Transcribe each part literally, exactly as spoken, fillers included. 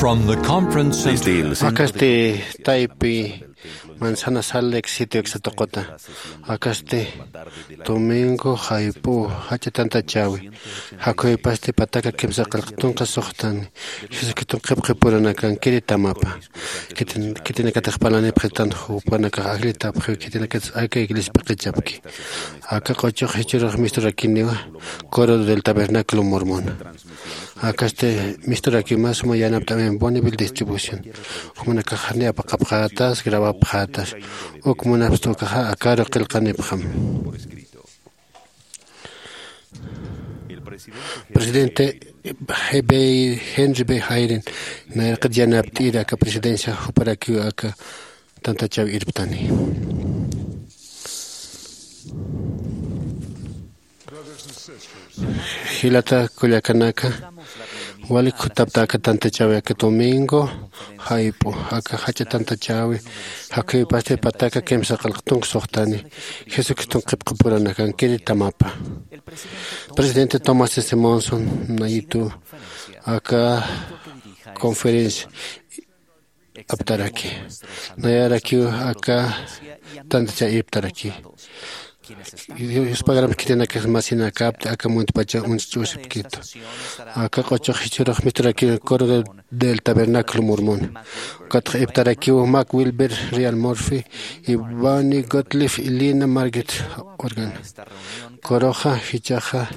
From the conference center. Akasti taypi Manzana Sal Lake City uksatuquta. Akasti domingo jayp'u jach'a tantachäwi. Jakhuypasti pataka kimsa qillqtunqa suxtani. Jesucriston qhipqipuranakan kiritamapa. Khitin-, khitinakatix parlanipxitan jupanakax ajllitapxiw, khitinakatix aka iglesia p'iqichapki. Aka q'uchux jichhürux misturakiniwa Coro del Tabernáculo Mormón. Akasti misturakiw mä suma yanapt'äwin Bonneville Distribución. Jumanakax janiw apaqapxätas, grabapxätas. Uk munapxta ukaxa akaru qillqanipxam. Presidente Henry B. Eyring nayraqat yanapt'iri aka presidencia juparakiw aka tantachäwi irptani. Jilata kullakanaka, walik jutapta aka tantachäwi aka domingo jayp'u, aka jach'a tantachäwi, jakhuypasti pataka kimsa qillqtunq suxtani, Jesucriston qhipqipuranakan kiritamapa. Presidente Thomas S. Monson nayitu aka conferencia aptaraki. Nayarakiw aka tantachäwi irptaraki. Yuspagarampi khitinakax masinakapti aka muntpacha uñch'usipkitu. Aka q'uchux jichhürux misturakiw Coro del Tabernáculo Mormón. Ukatxa irptarakiw Mac Wilber, Ryan Murphy, Bonnie Gottlieb y Lina Margaret Organ. Coroxa jichhaxa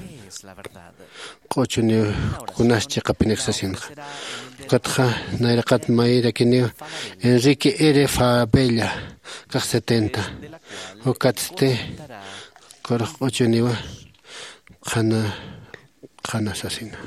q'uchuniw kunas chiqapinix sasinxa. Ukatxa nayraqat mayrakiniw Enrique R. Fabella, kax setenta. Ukatsti Corox q'uchuniwa qhana, qhana sasina.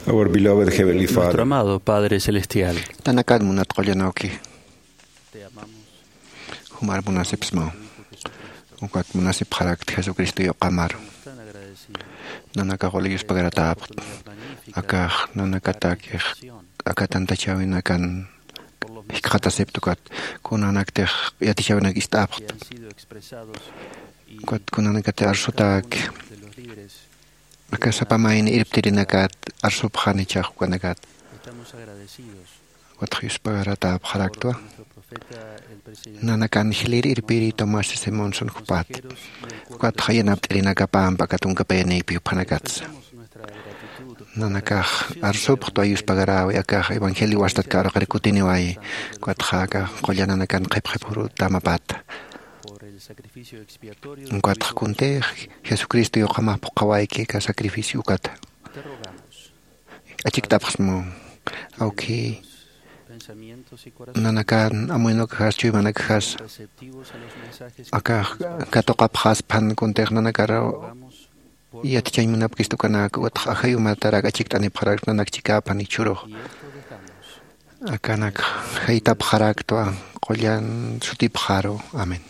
Our beloved Heavenly Father. Nuestro amado Padre Celestial. Nanakat munat qullan awki. Te amamos. Jumar munasipsmaw. Ukat munasipxarakta Jesucristo yuqamaru. Tan agradecido. Nanakax wali yuspagaratäpxt. Akax nanakatakix aka tantachäwinakan jikxatasipta ukat. Kunanaktix yatichäwinak ist'apxta. Ukat kunanakatix arsutäki. Aka sapa mayni irptirinakat arsupxani jichhax ukanakat. Ukatxa yuspagaratäpxaraktwa. Nanakan jilïr irpiri Tomás Simonson jupati. Ukatxa yanapt'irinakapampa aka tunka payanïpi juphanakatsa. Nanakax arsupxtwa yuspagaräwi, akax evangelio wastat käraqir kutiniwayi. Ukatxa aka qulla nanakan qhipqhipxurut tamapata. Ukatxa kuntix Jesucristo yuqamax phuqhawayki aka sacrificio ukata. Achikt'apxsmu. Awki, nanakan amuynukxas chuymanakxas aka katuqapxasphan kuntix nanakar yatichañ munapkistukanak, ukatxa ajay umatarak achikt'anipxarak nanak chikäphan jichhürux. Akanak jaytapxaraktwa qullan sutipxaru. Amén.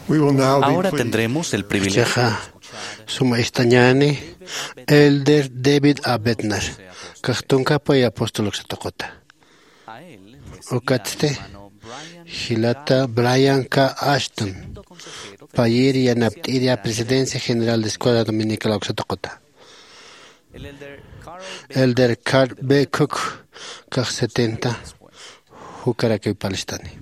Ahora tendremos el privilegio. Chiqa suma istañani, Elder David A Bednar, kaxtunkapay apostol uksatuquta. Ukatsti jilata Brian K Ashton, payir yanapt'iria Presidencia General de Escuela Dominical uksatuquta. Elder Carl B Cook, kax setenta, jukarakiw parlistani.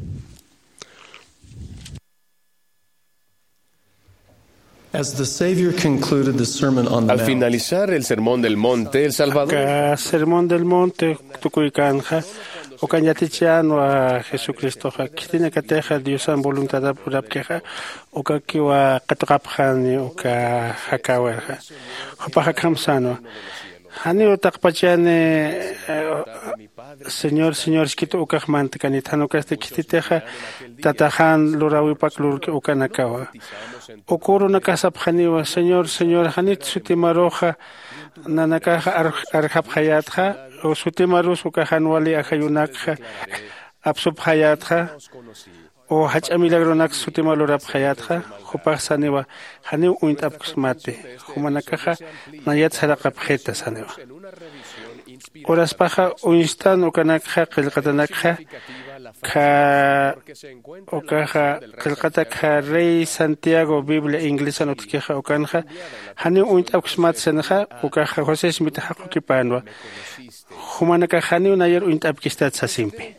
Al finalizar el Sermón del Monte, el Salvador. Aka Sermón del Monte tukuykanxa, ukan yatichänwa Jesucristoxa khitinakatixa Diosan voluntadap urapkixa, ukakiwa qatuqapxani uka jakäwirxa. Jupax akham sänwa. Janiw taqpachani, eh, Señor, Señor, siskitu ukax mantakanit, jan ukasti khititixa Tataxan luräwipak lurki ukanakawa. Uka urunakax sapxaniwa, Señor, Señor, janit sutimaruxa nanakaxa ar-, arjapxayätxa, o sutimarus uka jan wali ajayunakxa apsupxayätxa, o jach'a milagronaks sutima lurapxayätxa, jupax saniwa, janiw uñt'apksmati, jumanakaxa nayat saraqapxita saniwa. Uraspaxa uñstan ukanakxa qillqatanakxa, kha, ukaxa qillqatakxa Rey Santiago Biblia inglesan utjkixa ukanxa, janiw uñt'apksmati sanixa, ukaxa José Smith jaqukipänwa. Jumanakax janiw nayar uñt'apkistat sasimpi.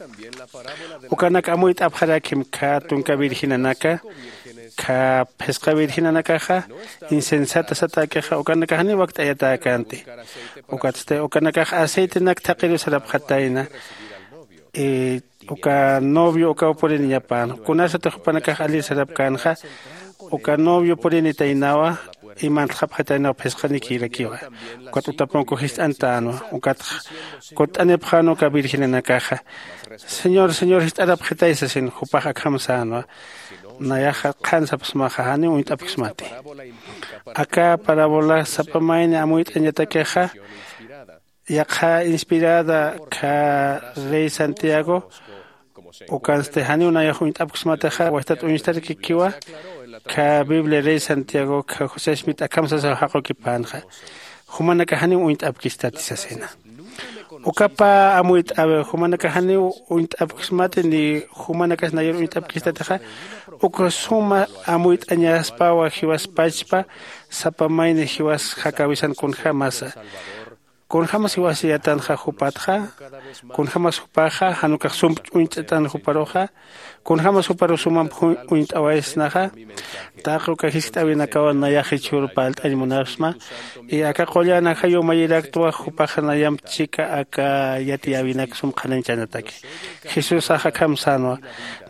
Ukanak amuyt'apxarakim kha tunka virgenanaka, kha phisqa virgenanakaxa, insensata satäkixa, ukanakax janiw wakt'ayatäkänti. Ukatsti, ukanakax aceitenak thaqiru sarapxatayna, y uka novio ukaw puriniñapän. Kunasatix jupanakax alir sarapkänxa, uka novio purinitaynawa, imantxapxataynaw phisqanikirakiwa. Ukat utapunku jist'antänwa, ukatx kutt'anipxän uka virgenanakaxa. Señor, Señor, jist'arapxitay sasin, jupax akham sänwa. Nayaxa qhan sapxsmaxa, janiw uñt'apksmati. Aka parábola sapa mayni amuyt'añatakixa, yaqha inspirada kha Rey Santiago, ukansti janiw nayax uñt'apksmatixa, wastat uñstarakikiwa, kha Biblia Rey Santiago, kha José Smith akham sasaw jaqukipänxa. Jumanakax janiw uñt'apkistati sasina. Ukapa amuyt'äwi, jumanakax janiw uñt'apksmati ni jumanakas nayar uñt'apkistatixa, uka suma amuyt'añaspawa jiwas pachpa, sapa mayni jiwas jakäwisan kunjämasa. Kunjämas jiwasayätanxa jupatxa, kunjämas jupaxa, jan ukax sump uñt'atan juparuxa, kunjämas juparu sumamp ju-, uñt'awaysnaxa, taqi uka jiskt'äwinakawa nayax jichhür parlt'añ munapxsma, y aka qullan ajayu mayiraktwa jupaxa nayamp chika aka yatiyäwinak sum qhanañchanataki. Jesusax akham sänwa,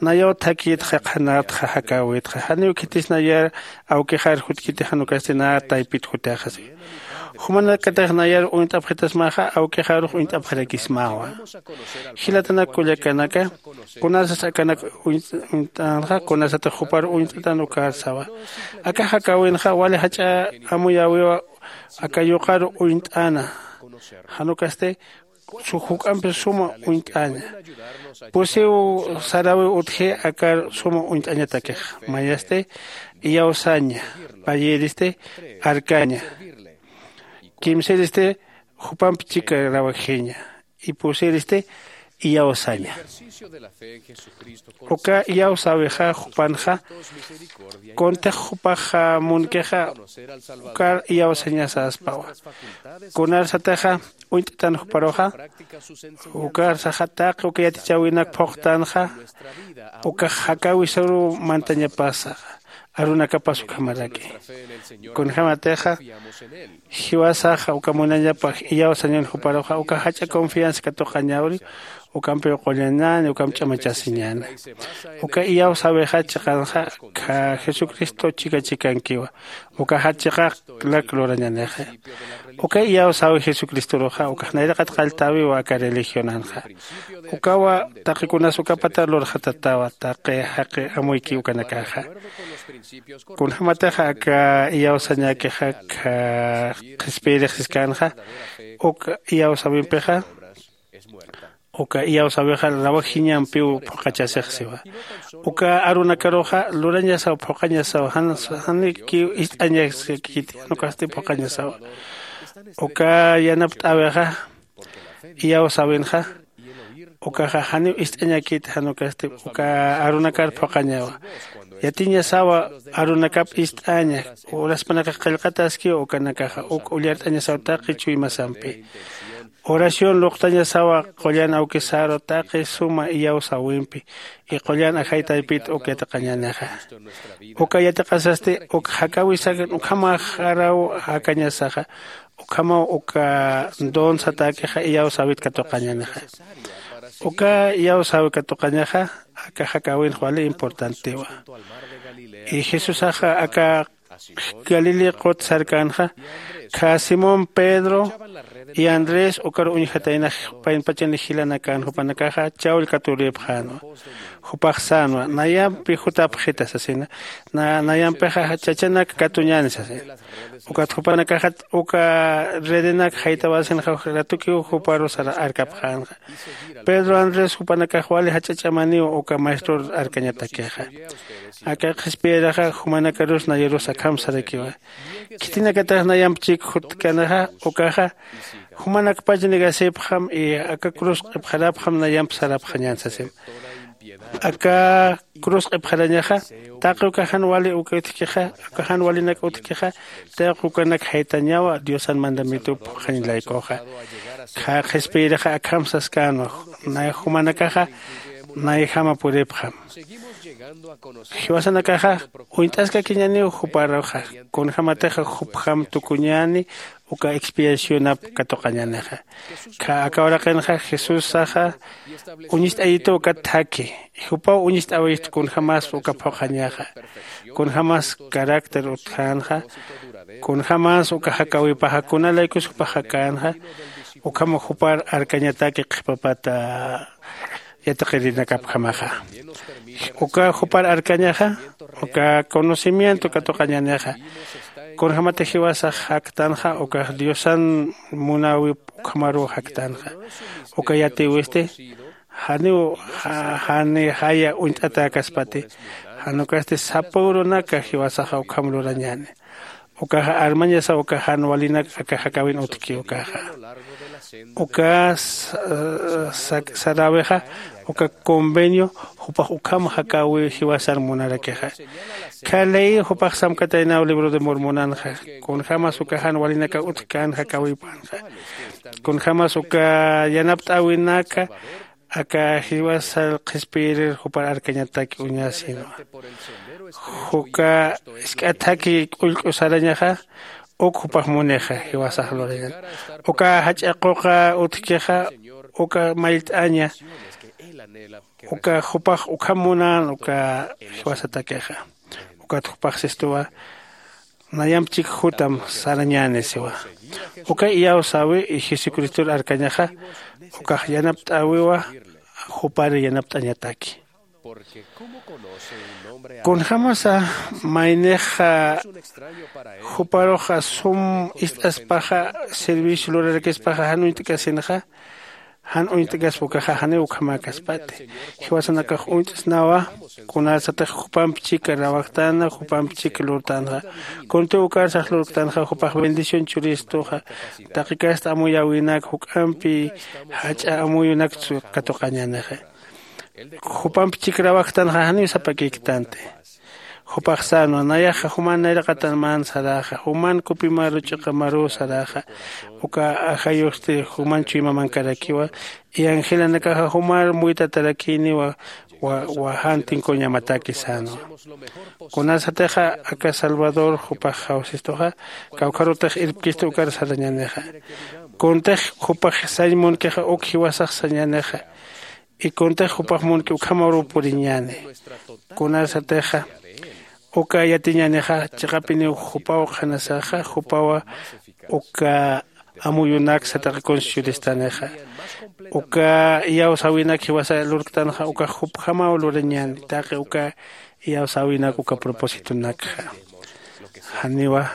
nayaw thakïtxa qhanätxa jakäwitxa, janiw khitis nayar awkixar jutkiti jan ukasti nä taypit jutixa si. Jumanakatix nayar uñt'apxitasmaxa, awkixarux uñt'apxarakismawa. Jilatanak kullakanaka, kunasas akanak uñ-, uñt'änxa, kunasatix jupar uñt'atan ukarsawa. Aka jakäwinxa, wali jach'a amuyäwiwa, aka yuqar uñt'äna. Jan ukasti, su juk'ampi suma uñt'aña. Pusiw saräwiw utji akar suma uñt'añatakix. Mayasti iyawsaña, payïristi arkaña. Kimsïristi jupamp chika rawakjiña. Y pusïristi iyawsaña. Uka iyawsäwixa jupanxa, kuntix jupaxa munkixa, ukar iyawsañasäspawa. Kunarsatixa uñt'tan juparuxa, ukarsaxa taqi uka yatichäwinak phuqtanxa, ukax jakäwisaruw mantañapasa, arunakapas ukhamaraki. Kunjämatixa, jiwasaxa uka munañapa iyawsañan juparuxa, uka jach'a confianza katuqañäwri, ukampiw qullañäni, ukamp ch'amachasiñäni. Uka iyawsäwixa chiqanxa, kha Jesucristo chika chikankiwa. Ukaxa chiqanak lurañanixi. Uka iyawsäwi Jesucristoruxa, ukax nayraqat qalltäwiwa aka religionanxa. Ukawa taqi kunas uka pata lurxatatawa, taqi jaqi amuyki ukanakaxa. Kunjämatixa aka iyawsañäkixa, kha qhispiyirix siskanxa, uka iyawsäwimpixa, Uka iyawsäwixa rawajiñampiw phuqachasix siwa. Uka arunakaruxa lurañasaw phuqañasaw, janikiw ist'añaskiti jan ukasti phuqañasawa. Uka yanapt'äwixa iyawsäwinxa ukaxa janiw ist'añakiti jan ukasti uka arunakar phuqañawa. Yatiñasawa arunakap ist'aña. Uraspanakax qillqataskiw ukanakaxa uk ullart'añasaw taqi chuymasampi. Oración luqtañasawa qullan awkisaru taqi suma iyawsäwimpi y qullan ajay taypit uk yatiqañänixa. Uka yatiqasasti uk jakäwisakan ukhamaxaraw jakañasaxa ukhamaw uka don satäkixa iyawsäwit katuqañänixa. Uka iyawsäwi katuqañaxa aka jakäwinx wali importantiwa. Y jesusaxa aka galilea qut sarkänxa khä simón pedro y andrés ukar uñjataynax paynpachani jilanakän jupanakaxa chawll katurïpxänwa. Jupax sänwa nayampi jutapxita sasina. Nayampixa chachanak katuñäni sasina. Ukat jupanakaxat uka redenak jaytawäsinxa ratukiw juparu sara arkapxänxa. Pedro andrés jupanakax wali jach'ach'amaniw uka maestror arkañatakixa. Aka qhispiyiraxa jumanakarus nayarus akham sarakiwa. Khitinakatax nayamp chik jutkanaxa ukaxa jumanakpach negasipxam y aka cruz q'ipxarapxam nayamp sarapxañän sasim. Aka cruz q'ipxarañaxa taqi uka jan wali uka utjkixa uka jan walinak utjkixa taqi ukanak jaytañawa diosan mandamientup phuqhañ laykuxa. Khä qhispiyirixa akham saskänwa nay jumanakaxa nayjama puripxam. Jiwasanakaxa uñt'askakiñäniw juparuxa kunjämatixa jupjam tukuñäni uka expiacionap katuqañänixa. Khä aka uraqinxa jesusaxa uñist'ayitu ukat thakhi. Jupaw uñist'äwistu kunjämas uka phuqhañaxa kunjämas carácter utjänxa kunjämas uka jakäwipaxa kuna laykus jupax jakänxa. Ukham jupar arkañataki qhipapat yatiqirinakapjamaxa. Uka jupar arkañaxa uka conocimiento katuqañänixa. Kunjämati jiwasax jaktanxa ukax diosan munäwip ukhamaruw jaktanxa. Uka yatïwisti janiw jani jaya uñt'atäkaspati jan ukasti sapa urunaka jiwasaxa ukham lurañäni. Ukaxa armañasaw uka jan walinak aka jakäwin utjki ukaxa uka saräwixa uka convenio jupax ukham jakäwiw jiwasar munarakixa. Khä ley jupax samkataynaw libro de mormonanxa kunjämas uka jan walinakaw utjkän jakäwipanxa kunjämas uka yanapt'äwinaka aka jiwasar qhispiyirir jupar arkañatak uñasinwa. Juka isk'at thakhi k'ullk'u sarañaxa uk jupax munixa jiwasax lurañan uka jach'a quqa utjkixa uka mayllt'aña uka jupax ukham munän uka jiwasatakixa. Ukat jupax sistuwa nayamp chik jutam sarañäni siwa. Uka iyawsäwi jesucristor arkañaxa ukax yanapt'äwiwa jupar yanapt'añataki. Kunjämasa maynixa juparuxa sum ist'aspaxa servicio lurarakispaxa jan uñt'kasinxa jan uñt'kaspa ukaxa janiw ukhamäkaspati. Jiwasanakax uñt'snawa kunasatix jupamp chika rawajtäna jupamp chika lurtänxa. Kuntiw ukarsax lurktanxa jupax bendición churistuxa taqi kasta amuyäwinak juk'ampi jach'a amuyunakchu katuqañänixa. Jupamp chik rawajtanxa janiw sapakïktanti. Jupax sänwa nayaxa juman nayraqatan man saräxa juman kupimaru ch'iqamaruw saräxa uka ajayusti juman chuyma mankarakiwa. Iyanjilanakaxa jumar muytatarakïniwa wa jan tinkuñamataki sänwa. Kunasatixa aka salvador jupax jawsistuxa kawkharutix irpkistu ukar sarañänixa. Kuntix jupax sañ munkixa uk jiwasax sañänixa. Y kuntix jupax munki ukhamaruw puriñäni. Kunasatixa uka yatiñänixa chiqapiniw jupaw qhanasaxa jupawa uka amuyunak sataqi kunsi churistanixa. Uka iyawsäwinak jiwasa lurktanxa ukax jupjamaw lurañäni taqi uka iyawsäwinak uka propósitonakxa. Janiwa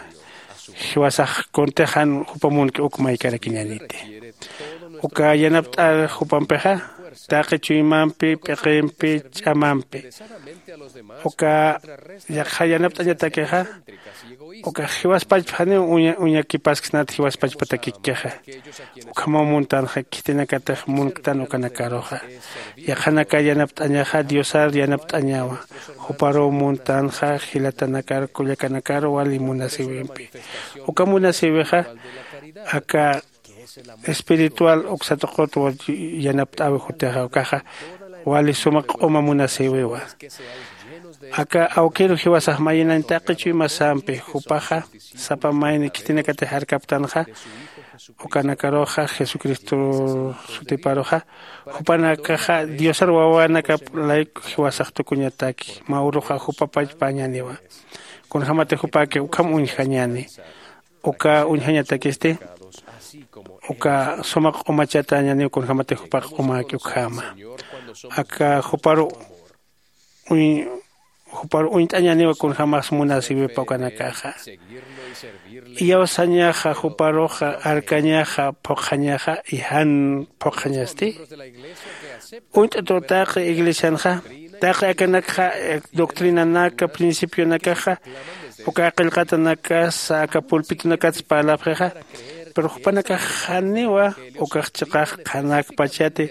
jiwasax kuntix jan jupa munki uk maykarakiñäniti. Uka yanapt'ar jupampixa taqi chuymampi, p'iqimpi, ch'amampi. Uka yaqha yanapt'añatakixa uka jiwaspachpa janiw uña uñakipasksnat jiwaspachpatakikkixa. Ukhamaw muntanxa khitinakatix munktan ukanakaruxa. Yaqhanaka yanapt'añaxa diosar yanapt'añawa. Juparuw muntanxa jilatanakar kullakanakar wali munasïwimpi. Uka munasïwixa aka espiritual uksatuqutwa yanapt'äwi jutixa ukaxa wali suma q'uma munasïwiwa. Aka awkiru jiwasax mayinañ taqi chuymasampi jupaxa sapa mayni khitinakatix arkaptanxa. Ukanakaruxa jesucristo sutiparuxa jupanakaxa diosar wawanakap layku jiwasax tukuñataki mä uruxa jupapachpañäniwa. Kunjämatix jupäki ukham uñjañäni uka uñjañatakisti uka suma q'umachatäñäniw kunjämatix jupax q'umäki ukhama. Aka juparu uñ juparu uñt'añäniwa kunjämax munasïwipa ukanakaxa. Iyawsañaxa juparuxa arkañaxa phuqhañaxa y jan phuqhañasti. Uñt'atu taqi iglesianxa taqi akanakxa doctrinanaka principionakaxa uka qillqatanakasa aka pulpitonakatsa parlapxixa. Pero jupanakax janiwa ukax chiqax qhanakpachati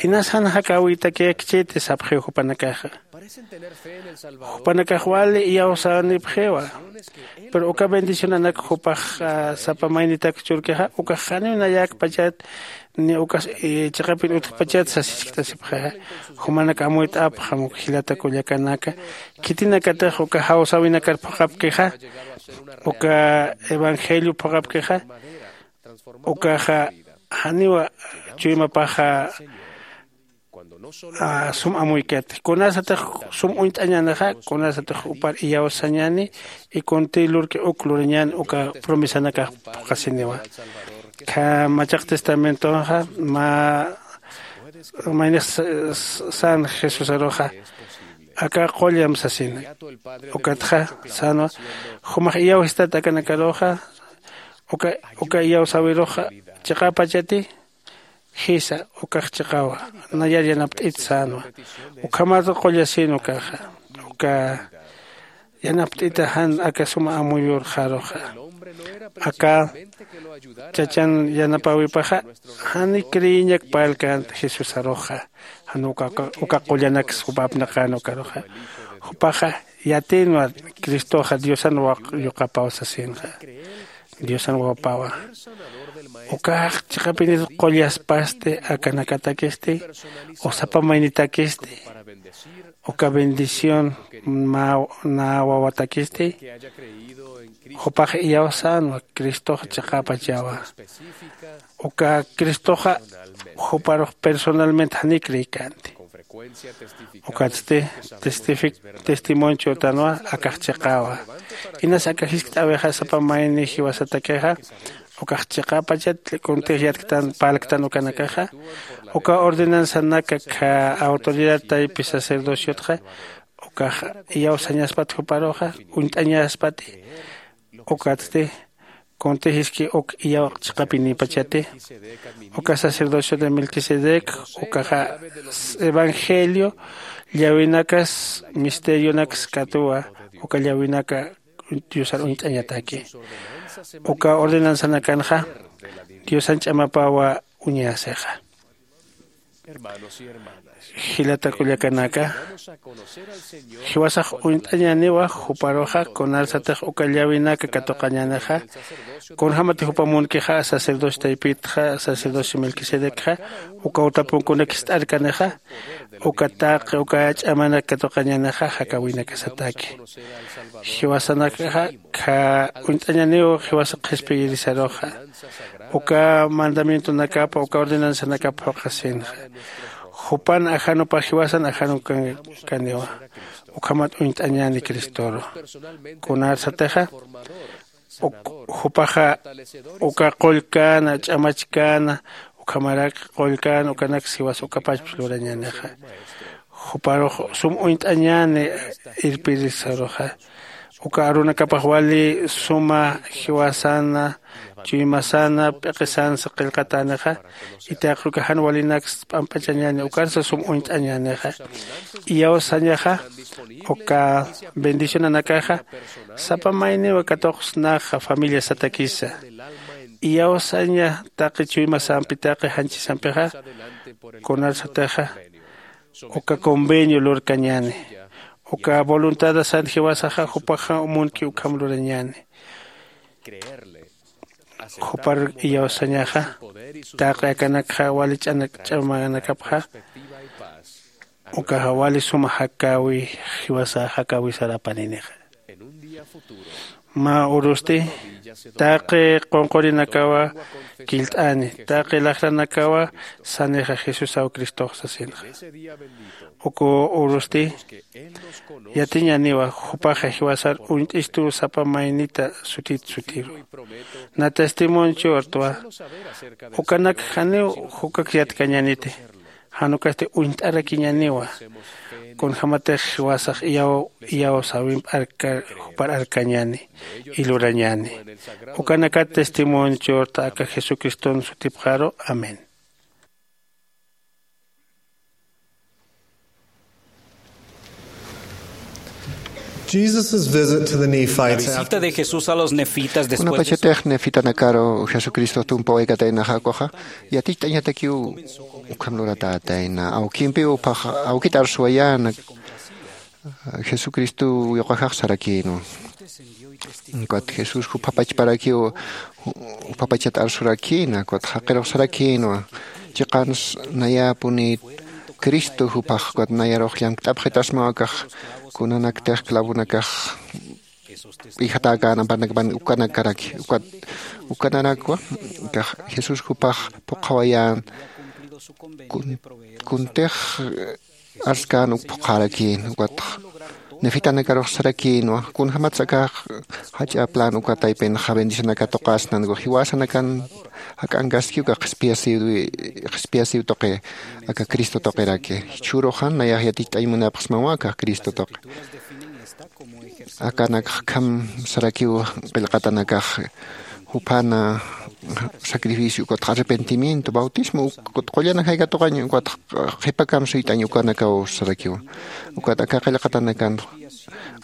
inas jan jakäwitakïkchiti sapxiw jupanakaxa. Jupanakax wali iyawsänipxiwa. Pero uka bendicionanak jupax sapa maynitak churkixa ukax janiw nayäkpachat ni ukas chiqapin utjpachat sasichkt'asipxixa. Jumanak amuyt'apxam uka jilata kullakanaka khitinakatix uka jawsäwinakar phuqhapkixa uka evangelio phuqhapkixa ukaxa janiwa chuymapaxa sum amuykati kunasatix sum uñt'añänixa kunasatix jupar iyawsañäni. Y kunti lurki uk lurañän uka promesanakax phuqhasiniwa. Kha machaq testamentonxa mä maynix sän jesusaruxa aka qullam sasina. Ukatxa sänwa jumax iyawsistat akanakaruxa uka iyawsäwiruxa chiqäpachati. Jisa ukax chiqawa nayar yanapt'it sänwa. Ukhamat qullasïn ukaxa uka yanapt'ita jan aka suma amuyurxaruxa aka chachan yanapäwipaxa jani creeñak parlkänti jesusaruxa. Jan uka qullanaksa jupa apnaqän ukaruxa jupaxa yatïnwa cristoxa diosan yuqapaw sasinxa. Diosan wawapawa ukax chiqapinit qullaspasti akanakatakisti o sapa maynitakisti uka bendición mä nä wawatakisti jupax iyawsänwa. Cristoxa chiqäpachawa uka cristoxa juparux personalmente janiy creeykänti. Ukatsti testimonio churtanwa akax chiqäwa. Inas aka jiskt'äwixa sapa mayni jiwasatakixa ukax chiqäpachat kuntix yatktan parlktan ukanakaxa uka ordenanzanaka kha autoridad taypi sacerdociotxa ukax iyawsañaspat juparuxa uñt'añaspati. Ukatsti kuntixiski uk iyaw chiqapinipachati uka sacerdocio de melquisedec ukaxa evangelio llawinakas misterionaks katuwa uka llawinaka diosar uñt'añataki. Uka ordenanzanakanxa diosan ch'amapawa uñasixa. Jilata kullakanaka jiwasax uñt'añäniwa juparuxa kunarsatix uka llawinaka katuqañänixa kunjämatix jupa munkixa sacerdocio taypitxa sacerdocio melquisedecxa uka utapunkunak jist'arkanixa uka taqi uka ch'amanak katuqañänixa jakäwinakasataki. Jiwasanakaxa uñt'añäniw jiwasa qhispiyirisaruxa uka mandamientonakapa uka ordenanzanakapa phuqhasinxa. Jupan ajanupa jiwasan ajanukaniwa ukhamat uñt'añäni cristoru kunarsatixa jupaxa uka qullkäna ch'amachkäna ukhamarak qullkäna ukanaks jiwas ukapachpis lurañänixa. Juparux sum uñt'añäni irpirisaruxa uka arunakapax wali suma jiwasana chuymasana p'iqisansa qillqatänixa. Itaqi uka jan walinaksa p'amp'achañäni ukansa sum uñt'añänixa. Iyawsañaxa uka bendicionanakaxa sapa mayniwa katuqsnaxa familiasatakisa. Iyawsaña taqi chuymasampitaqi janchisampixa kunarsatixa uka convenio lurkañäni. Uka voluntadasan jiwasaxa jupaxa munki ukham lurañäni. Jupar iyawsañaxa taqi akanakxa wali ch'anak ch'amanakapxa ukaxa wali suma jakäwi jiwasa jakäwisar apaninixa. Mä urusti taqi qunqurinakawa killt'ani taqi laxranakawa sanixa jesusaw cristox sasinxa. Uku urusti yatiñaniwa jupaxa jiwasar uñt'istu sapa maynita sutit sutiru. Na testimonchurtwa ukanak janiw jukak yatkañaniti. Jan ukasti uñt'arakiñaniwa kunjämatix jiwasax iyaw iyawsäwimp jupar arkañäni y lurañäni. Ukanakat testimonchurta aka jesucriston sutipxaru. Amén. Visita de Jesús a los nefitas después de su... Kunapachatix nefitanakaru jesucristo tumpawaykatäynaxa ukaxa yaticht'añatakiw ukham luratätayna awkimpiw uphax awkit arsuwayäna. Jesucristo yuqajax sarakïnwa. Ukat jesús jupha pachparakiw jupha pachat arsurakïna ukat jaqirux sarakïnwa. Chiqans nayäpunït cristo juphax ukat nayarux llamkt'apxitasmaw akax kunanaktix clavonakax p'ijatäkän amparnakapan ukanakaraki ukat ukanarakwa. Akax jesús juphax phuqhawayän kuntix arskän uk phuqhärakïn ukatx nefitanakarux sarakïnwa kunjämatsa akax jach'a plan uka taypinxa bendicionakat tuqäsnan ukax jiwasanakan jak'ankaski ukax qhispiyasiw qhispiyasiw tuqi aka cristo tuqiraki. Jichhüruxa nayax yaticht'añ munapxsmawa akax cristo tuqi. Akanakx akham sarakiw qillqatanakax juphana sacrificio ukatx arrepentimiento bautismo ukat qullana jaykatuqañ ukatx qhipakam suyt'añ ukanakaw sarakiwa. Ukat aka qillqatanakan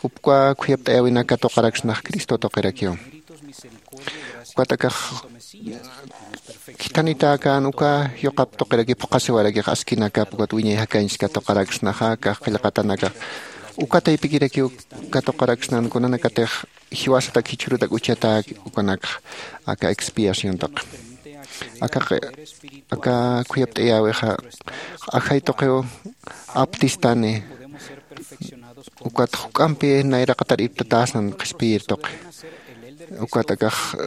upka khuyapt'ayäwinak katuqaraksnax cristo tuqirakiwa. Ukat akax khithanitäkän uka yuqap tuqiraki phuqhasiwarakix askinakap ukat wiñay jakañchis katuqaraksnaxa akax qillqatanakax uka taypikirakiw katuqaraksnan kunanakatix jiwasatak jichhürutak uchatäki ukanakxa aka expiación tuqi. Aka aka khuyapt'ayäwixa ajay tuqiw aptistani ukat juk'ampi nayraqatar iptatäsnan qhispiyir tuqi. Ukat akax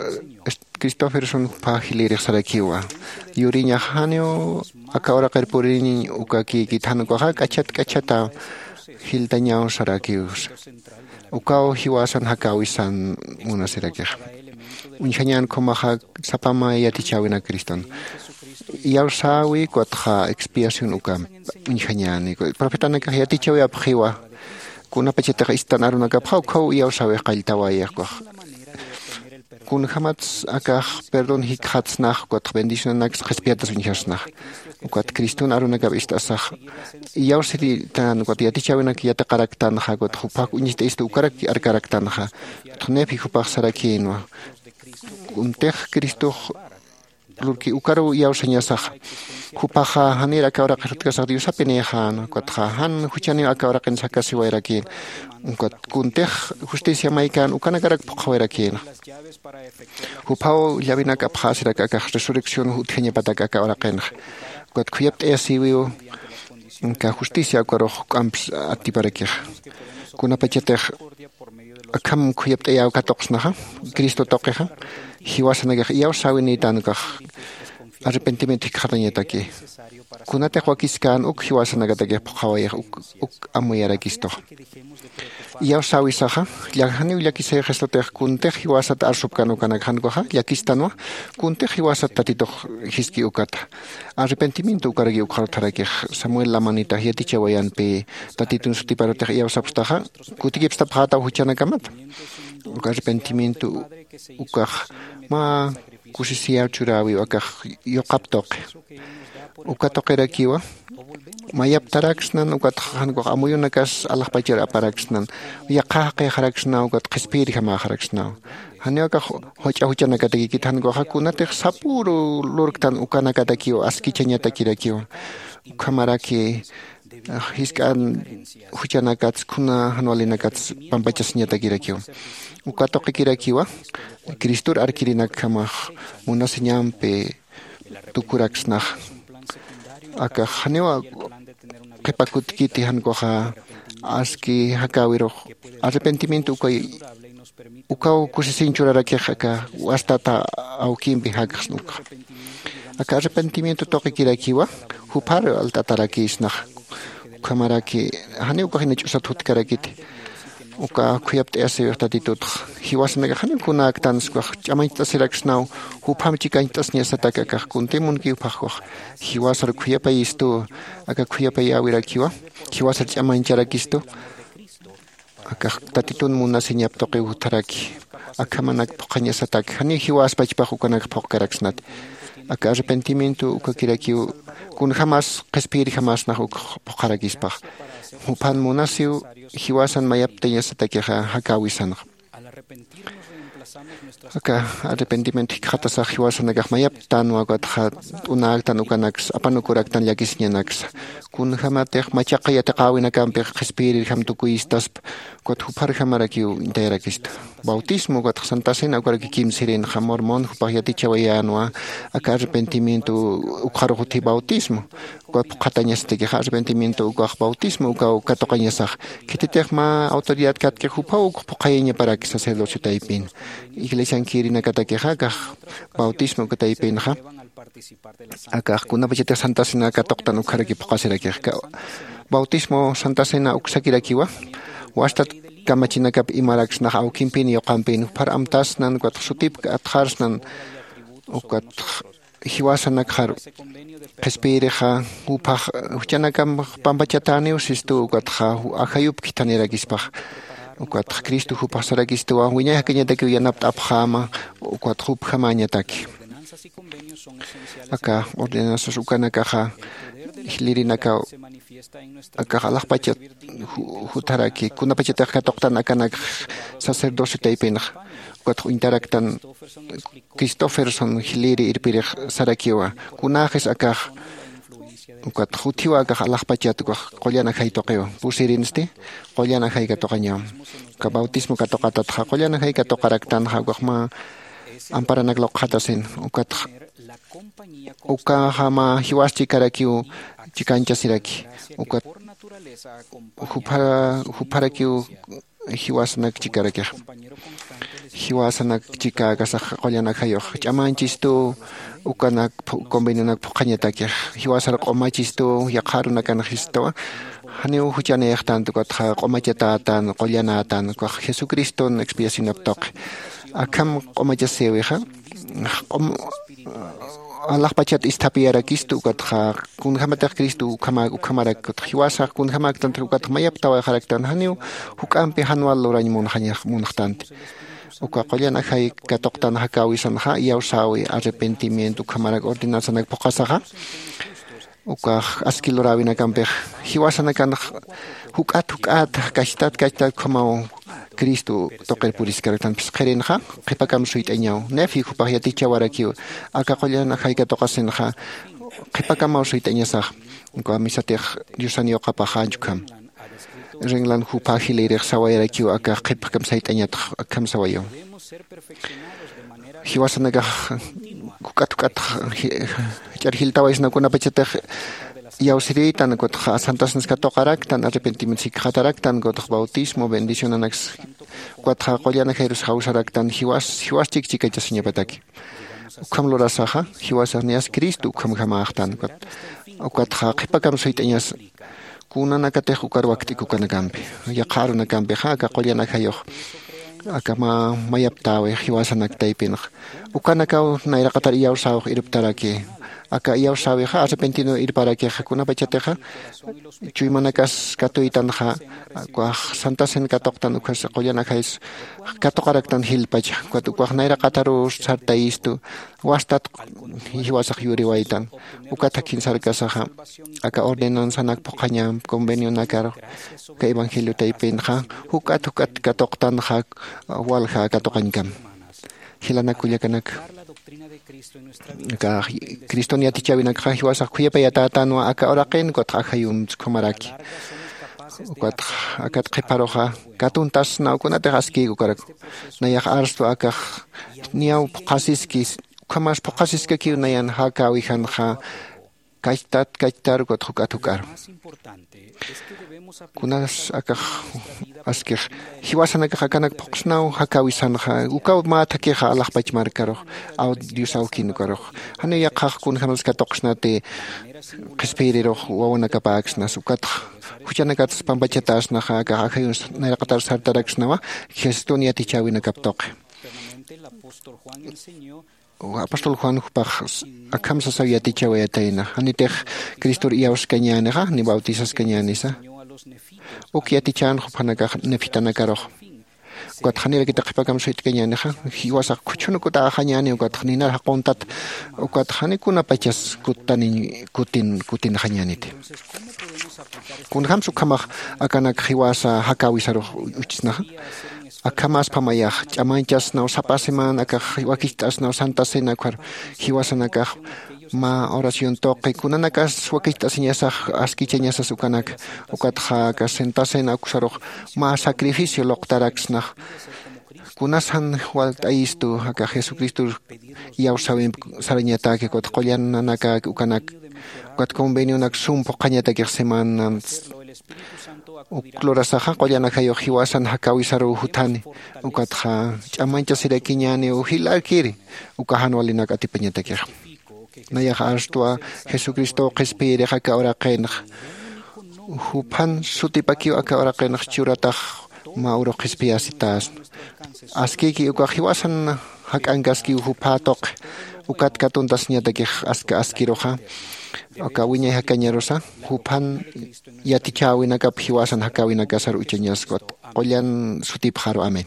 cristoferson jupha jilïrix sarakiwa yuriñax janiw aka uraqir puririñañ ukakïkit jan ukaxa k'achat k'achata jiltañaw sarakiwsa. Ukaw jiwasan jakäwisan munasirakixa uñjañän khumaxa sapa mä yatichäwinak criston iyawsäwi ukatxa expiación ukamp uñjañäni profetanakax yatichäwi apxiwa. Kunapachatix istan arunakapxa ukhaw iyawsäwix qalltawayix ukax kunjämats akax perdón jikxatsnax ukatx bendicionanaks qhispiyatas uñjasnax. Ukat criston arunakap ist'asax iyawsiritan ukat yatichäwinak yatiqaraktanxa ukatx juphax uñist'istu ukarak arkaraktanxa. Ukatx nefi jupax sarakïnwa kuntix cristox lurki ukaruw iyawsañasaxa. Jupaxa janir aka uraqir jutkasax diosapi niyxäna ukatxa jan juchaniw aka uraqin jakasiwayrakïna. Ukat kuntix justicia maykän ukanakarak phuqhawayrakïna. Juphaw llavinak apxäsirak akax resurrección utjañapatak aka uraqinxa. Ukat khuyapt'ayasïwiw aka justicia ukarux juk'amps atiparakixa. Kunapachatix akham khuyapt'ayäw katuqsnaxa cristo tuqixa jiwasanakax iyawsäwinïtän ukax arrepentimiento jikxatañataki. Kunatix wakiskän uk jiwasanakatakix phuqhawayix uk amuyarakistuxa. Iyawsäwisaxa, janiw llakisayxistutix kuntix jiwasat arsupkän ukanakxankuxa llakistanwa. Kuntix jiwasat tatitux jiski ukata. Arrepentimiento ukaraki ukxarutharakix. Samuel lamanitax yatichawayanpi tatitun sutiparutix iyawsapxtaxa, kutikipstapxätaw juchanakamata. Uka arrepentimiento ukax mä kusisiyar churäwiw akax yuqap tuqi. Uka tuqirakiwa mayaptaraksnan ukatxa jankux amuyunakas alaxpachar aparaksnan. Yaqha jaqixaraksnaw ukat qhispiyirjamäxaraksnaw. Janiw akax juch'a juchanakatakikit jankuxa kunatix sapüru lurktan ukanakatakiw askichañatakirakiwa. Ukhamaraki jisk'an juchanakats kuna jan walinakats pampachasiñatakirakiwa. Uka tuqikirakiwa cristor arkirinakjamax munasiñampi tukuraksnaxa. Akax janiwa qhipa kutkiti jankuxa aski jakäwirux arrepentimiento ukay ukaw kusisiñ churarakix aka wastata awkimpi jakxsna ukxa. Aka arrepentimiento tuqikirakiwa juphar alt'atarakïsnaxa. Ukhamaraki janiw ukax ina ch'usat jutkarakiti. Uka khuyapt'ayasiwix tatitutxa jiwasanakax janiw kunäktansa ukax ch'amañcht'asiraksnaw. Jupham chikañcht'asiñasatak akax kuntimunki juphaxkuxa jiwasar khuyapayistuwa. Aka khuyapayäwirakiwa jiwasar ch'amañcharakistu. Akax tatitun munasiñap tuqiw jutharaki. Akhamanak phuqhañasataki janiw jiwaspachpax ukanak phuqkaraksnati. Aka arrepentimiento ukakirakiw kunjämas qhispiyirjamasnax uk phuqharakispax. Juphan munasiw jiwasan mayaptañasatakixa jakäwisanxa. Aka arrepentimiento jikxatasax jiwasanakax mayaptänwa ukatxa t'unäktan ukanaksa apanukuraktan llakisiñanaksa. Kunjämatix machaqi yatiqäwinakampix qhispiyirirjam tukuyistaspa. Ukat jupharjamarakiw intayarakistu. Bautismo ukatxa santa cena ukaraki kimsirinxa mormon jupax yatichawayänwa. Aka arrepentimiento ukxarux utji bautismo. Ukat phuqhatañasatakixa arrepentimiento ukax bautismo ukaw katuqañasax. Khititix mä autoridad katkix juphaw uk phuqhayañaparaki sacerdocio taypin. Iglesiankïrinakatakixa akax bautismo uka taypinxa akax kunapachatix santa cena katuqtan ukharaki phuqhasirakix. Bautismo santa cena uksakirakiwa wastat kamachinakap imaraksnax awkimpin yuqampin juphar amtasnan ukatx sutipk atxarsnan. Ukatx jiwasanakxar qhispiyirixa juphax juchanakam pampachatäniw sistuw ukatxa ajayupki thanirakispax. Ukatx cristo juphax sarakistuwa wiñay jakañatakiw yanapt'apxäma. Ukatx jupjamäñataki aka ordenanzas ukanakaxa jilïrinakaw akax alaxpachat jutharaki kunapachatix katuqtan akanakx sacerdocio taypinxa. Ukatx uñtaraktan cristoferson jilïri irpirix sarakiwa kunäxis akax ukatx utjiwa akax alaxpachat ukax qullan ajay tuqiwa pusirinsti qullan ajay katuqañaw. Uka bautismo katuqatatxa qullan ajay katuqaraktanxa ukax mä amparanak luqxatasin. Ukatx ukaxa mä jiwas chikarakiw chikañchasiraki. Ukat jupharakiw jiwasanak chikarakixa jiwasanak chikäkasax qullan ajayux ch'amañchistuw ukanak convenionak phuqhañatakix jiwasar q'umachistuw yaqha arunakanxistuwa. Janiw juchanïxtänti ukatxa q'umachatätän qullanätän ukax jesucriston expiacionap tuqi. Akham q'umachasïwixa alaxpachat isthapiyarakistu ukatxa kunjämatix cristo ukhamarak ukatx jiwasax kunjämäktantix ukatx mayaptawayxaraktan janiw juk'ampi jan wal lurañ munxtanti. Uka qullan ajay katuqtan jakäwisanxa iyawsäwi arrepentimiento ukhamarak ordenanzanak phuqhasaxa ukax aski luräwinakampix jiwasanakanx juk'at juk'at kachtat kachtat ukhamaw cristo tuqir puriskaraktan phisqirinxa qhipakam suyt'añaw. Nefi jupax yatichawarakiw aka qullan ajay katuqasinxa qhipakamaw suyt'añasax. Uka misatix diosan yuqapaxänch ukham rinlan jupha jilïrix sawayarakiw akax qhipakam sayt'añatx akham sawayaw. Jiwasanakax juk'at juk'at jach'ar jiltawaysna kunapachatix iyawsirïtan ukatxa santasnas katuqaraktan arrepentimiento jikxataraktan ukatx bautismo bendicionanaks ukatxa qullan ajayrus jawsaraktan jiwas jiwas chikchikachasiñapataki. Ukham lurasaxa jiwasax niyas Cristo ukhamjamäxtan. Ukatxa qhipakam suyt'añas kunanakatix ukar wakt'ik ukanakampi, yaqha arunakampixa aka qullan ajayux aka mä mayaptäwi jiwasanak taypinxa. Ukanakaw nayraqatar iyawsäwix irptaraki. Aka iyawsäwixa arrepentino irparakixa kunapachatixa chuymanakas katuytanxa, ukax santasin katuqtan, ukhas qullan ajays katuqaraktan jilpacha. Ukat ukax nayraqataruw sartayistu, wastat jiwasax yuriwaytan. Ukat jakin sarkasaxa aka ordenanzanak phuqhaña convenionakar aka evangelio taypinxa juk'at juk'at katuqtanxa, walja katuqañkam. Jilanak kullakanak, aka Criston yatichäwinakxa jiwasax khuyapayatätanwa aka uraqin, ukatxa ajayuntsa ukhamaraki. Ukatxa akat qhiparuxa katuntasnaw kunatix askïk ukarak. Nayax arstwa akax niyaw phuqhasiski, ukhamas phuqhasiskakiw nayan jakäwijanxa kachtat kachtar ukat juk'at juk'ar. Kunas akax askix jiwasanakax akanak phuqsnaw jakäwisanxa, ukaw mä thakixa alaxpach markarux, aw Dios awkin ukarux. Janiw yaqhax kunjämas katuqsnati qhispiyirirux wawanakapäksnas, ukatxa juchanakatsa pampachatäsnaxa, akax ajayuns nayraqatar sartaraksnawa Jesucristun yatichäwinakap tuqi. Apóstol Juan jupax akham sasaw yatichawayatayna, janitix Cristor iyawskañänixa ni bautizaskañänisa. Uk yatichän jupxanakax nefitanakarux. Ukat janirakita qhipakam suyt'kañänixa, jiwasax khuchhunukutaxañäni, ukat ninar jaquntat, ukat jani kunapachas kuttaniñ kutin kutinxañäniti. Kunjämsa ukhamax akanak jiwasa jakäwisarux uchsnaxa. Akhamäspha mayax ch'amañchasnaw sapa semana, akax wakicht'asnaw Santa Cena ukhar jiwasanakax mä oración tuqi, kunanakas wakicht'asiñasax askichañasas ukanak, ukatxa aka Santa Cena uksarux mä sacrificio luqtaraksnax. Kunas jan walt'ayistu aka Jesucristo iyawsäwimp sarañataki, ukat qullan nanakak ukanak, ukat convenionak sum phuqhañatakix semanans. Uk lurasaxa qullan ajayux jiwasan jakäwisaruw juthani, ukatxa ch'amañchasirakiñäniw jilarkiri, uka jan walinak atipañatakix. Nayax arstwa Jesucristow qhispiyirix aka uraqinx. Juphan sutipakiw aka uraqinx churatax mä urux qhispiyasitäsna. Askïki ukax jiwasan jak'ankaskiw jupha tuqi, ukat katuntasiñatakix aska askiruxa. Aka wiñay jakañarusa juphan yatichäwinakap jiwasan jakäwinakasar uchañaskwa. Qullan sutipxaru. Amén.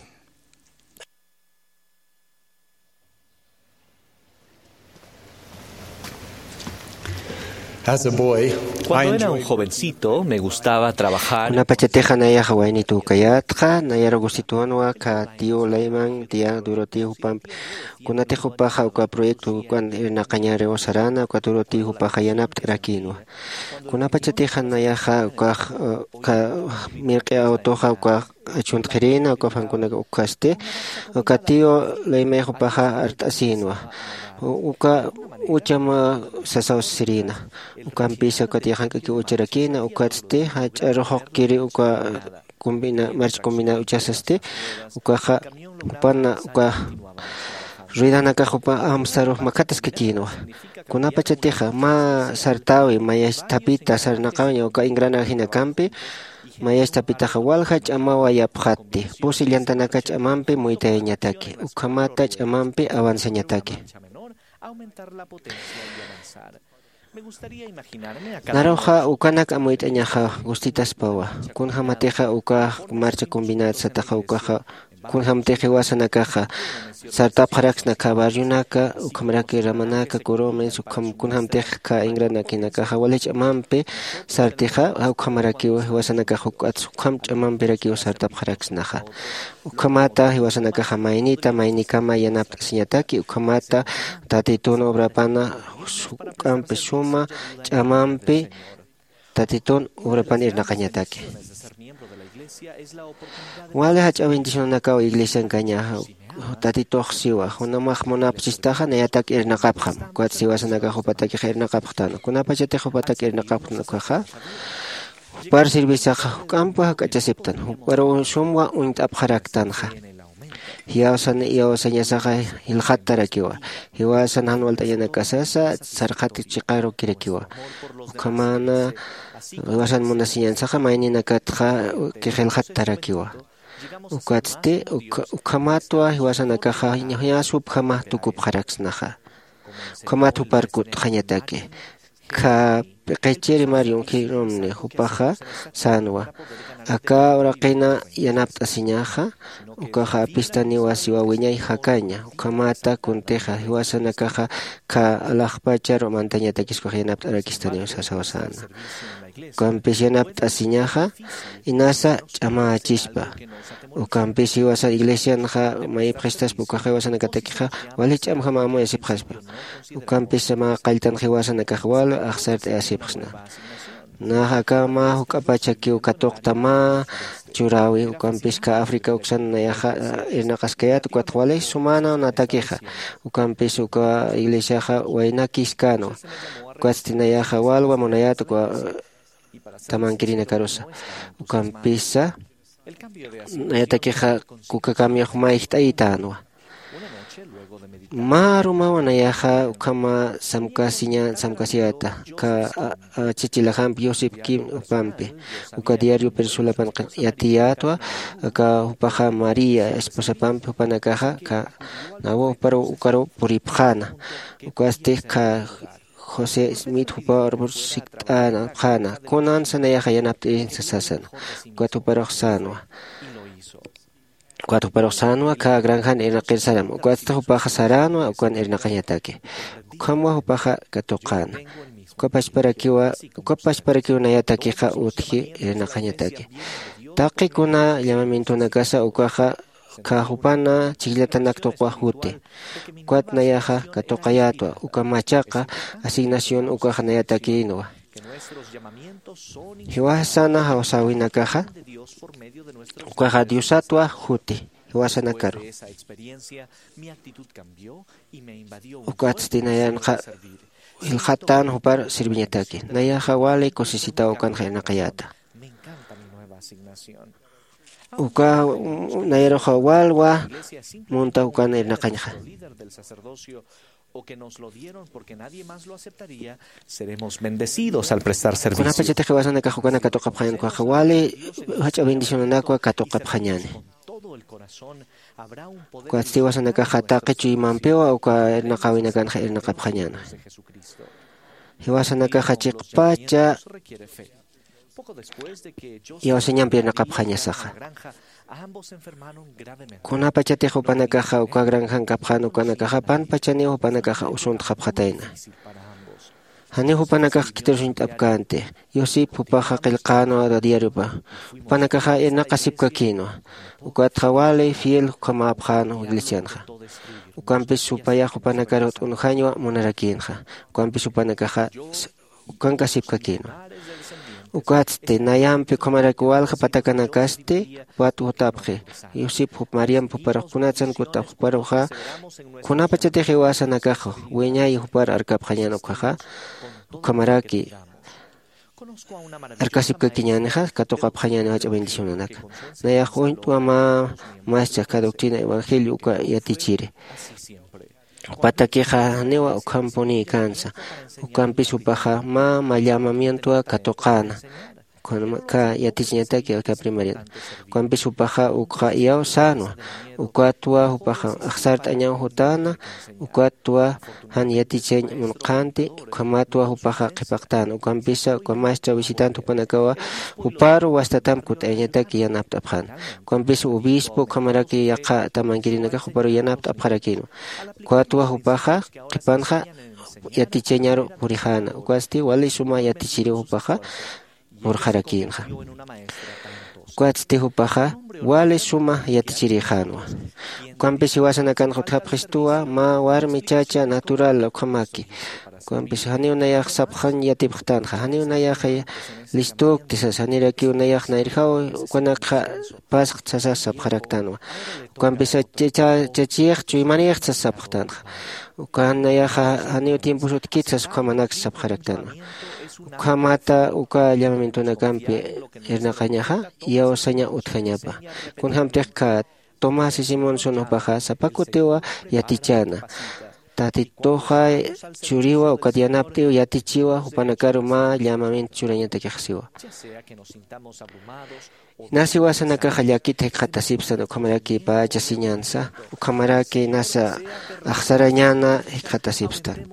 As a boy, I Cuando era un enjoyed jovencito, me gustaba trabajar. Kunapachatixa nayaxa waynituw kayätxa, nayar gustituwanwa kä tío Leyman, tía Dorothy jupampi. Kunatix jupaxa uka proyecto ukan irnaqañäriw saräna, uka Dorothy jupaxa yanapt'arakïnwa. Kunapachatixa nayaxa ukax, uh, uka mirq'i autoxa ukax chuntxirïna, uka fankunak ukkasti, uka tío Leyman jupaxa art'asïnwa. U-, uka ucham sasaw sirïna. Ukampisa ukat yaqank'aki ucharakïna, ukatsti jach'a ruxuqkiri uka combina, marcha combina uchasasti, ukaxa jupan uka ruedanakax jupa amsarux makhataskakïnwa. Kunapachatixa mä sartäwi, mayach thapita sarnaqawaña uka engranajinakampi, mayach thapitaxa walja ch'amawa yapxatti, pusi llantanaka ch'amampi muytayañataki, ukhamata ch'amampi avanzañataki. Naruxa ukanak amuyt'añaxa gustitaspawa. Kunjämatixa uka marcha combinat sataxa ukaxa, kunjämtix jiwasanakaxa sartapxaraksna kä barrionaka, ukhamaraki ramanaka, curumens, ukham kunjämtix kä engranakinakaxa wali ch'amampi sartixa, ukhamarakiw jiwasanakax juk'at ukham ch'amampirakiw sartapxaraksnaxa. Ukhamata jiwasanakaxa maynita maynikama yanapt'asiñataki, ukhamata Tatitun obrapana juk'ampi suma ch'amampi Tatitun obrapan irnaqañataki. Wali jach'a bendicionanakaw iglesiankaña Tatitux siwa, kunamax munapchistaxa nayatak irnaqapxam, ukat jiwasanakax jupatakix irnaqapxtan, kunapachatix jupatak irnaqapxtan ukaxa, jupar servisaxa juk'ampa jak'achasiptan, juparuw sumwa uñt'apxaraktanxa. Jiyawsan iyawsañasaxa jilxattarakiwa. Jiwasan jan walt'añanakasasa sarxat chiqarukirakiwa. Ukhamana jiwasan munasiñansaxa mayninakatxa jilxattarakiwa. Ukatsti ukhamatwa jiwasanakaxa ña supjama tukupxaraksnaxa. Ukhamat jupar kut'xañataki. Kha p'iqichiri mar yunkhirumni jupaxa sänwa. Aka uraqina yanapt'asiñaxa ukaxa apistaniwa siwa wiñay jakaña. Ukhamata kuntixa jiwasanakaxa kha alaxpacharu mantañatakis ukax yanapt'arakistaniwa sasawa säna. Ukampis yanapt'asiñaxa inasa ch'amächispa. Ukampis jiwasan iglesianxa mayipxistaspa ukaxa jiwasanakatakixa wali ch'amjam amuyasipxaspa. Ukampis mä qalltan jiwasanakax wal axsart'ayasipxsna. Nax aka mä juk'apachakiw katuqta mä churäwi ukampis kha africa uksan nayaxa irnaqaskayät ukat wali sumäna natakixa. Ukampis uka iglesiaxa waynakïskänwa. Ukatsti nayaxa walwa munayät uka tamankirinakarusa. Ukampisa nayatakixa kuka cambiox mä ijt'aytänwa. Mä arumawa nayaxa ukhama samkasiña samkasiyäta. Aka chachilajampi yusipki jupampi uka diario persulapan yatiyätwa. Aka jupaxa maría esposapampi jupanakaxa aka nawa juparu ukaru puripxäna. Ukasti aka josé smith juparu sikt'änapxäna kunansa nayaxa yanapt'irinsa sasana. Ukat juparux sänwa. Ukat juparux sänwa aka granjan irnaqir saram ukatsti jupaxa saränwa ukan irnaqañataki. Ukhamwa jupaxa katuqäna. Uka pachparakiwa uka pachparakiw nayatakixa utji irnaqañataki. Taqi kuna llamamientonakasa ukaxa kha jupana chhijllatanak tuqwa juti. Ukat nayaxa katuqayätwa uka machaqa asignación ukaxa nayatakïnwa. Jiwasana jawsäwinakaxa ukaxa diosatwa juti jiwasanakaru. Ukatsti nayanxa jilxattän jupar sirviñataki. Nayaxa wali kusisitaw ukanxa irnaqayäta. Uka nayaruxa walwa munta ukan irnaqañxa. O que nos lo dieron porque nadie más lo aceptaría, seremos bendecidos al prestar servicio. Kunapachatix jiwasanakax ukanak katuqapxañän ukaxa wali jach'a bendicionanakwa katuqapxañäni. Ukatsti jiwasanakaxa taqi chuymampiwa uka irnaqäwinakanxa irnaqapxañäni. Jiwasanakaxa chiqpacha iyawsañampi irnaqapxañasaxa. Kunapachatix jupanakaxa uka granjan kapxän ukanakaxa panpachaniw jupanakaxa usuntxapxatayna. Janiw jupanakax khitirusuñt'apkänti. Yusip jupaxa qillqänwa diariopa. Jupanakaxa irnaqasipkakïnwa. Ukatxa wali fiel jukhamäpxänwa iglesianxa. Ukampis supayax jupanakar jut'unjañwa munarakïnxa. Ukampis jupanakaxa ukankasipkakïnwa. Ukatsti nayampi ukhamarak walja patakanakasti pat jutapxi. Yusip jup mariamp juparux kunatsan kutapx juparuxa kunapachatix iwasanakax wiñay jupar arkapxañän ukhaxa ukhamaraki arkasipkakiñänixa katuqapxañäni jach'a bendicionanaka. Nayax uñt'wa mä maschak ka doctrina evangelio uka yatichiri. Patakixa janiwa ukhampuni kansa. Ukampis jupaxa mä mallamamientowa katuqäna. Ka yatichiñataki aka primarian. Ukampis jupaxa ukxa iyaw sänwa. Ukatwa jupaxa axsart'añaw jutäna. Ukatwa jan yatichañ munqhanti. Ukhamatwa jupaxa qhipaqtäna ukampisa uka maestra visitante jupanakawa juparu wastatamp kut'ayañataki yanapt'apxäna. Ukampisa obispo ukhamaraki yaqha tamankirinakax juparu yanapt'apxarakïnwa. Ukatwa jupaxa qhipanxa yatichañaru purixäna ukatsti wali suma yatichiriw jupaxa purxarakïnxa. Ukatsti jupaxa wali suma yatichirixänwa. Ukampis jiwasanakanx utjapxistuwa mä warmi chacha natural ukhamaki. Ukampis janiw nayax sapxañ yatipxtänxa janiw nayax listükti sas janirakiw nayax nayrjaw ukanakxa pasxt sasas sapxaraktänwa. Ukampis chachiyix chuymanïxt sas sapxtänxa. Ukan nayaxa janiw tiempos utjkit sas ukhamanaksa sapxaraktänwa. Ukhamata uka llamamientonakampi irnaqañaxa iyawsaña utjañapa. Kunjämtix kha Tomás Simonson jupaxa sapa kutiwa yatichäna. Tatituxa churiwa ukat yanapt'iw yatichiwa jupanakaru mä llamamiento churañatakix siwa. Nasa iwasanakaxa llakita jikxatasipstan ukhamaraki pacha siñansa, ukhamaraki nasa axsarañana jikxatasipstan.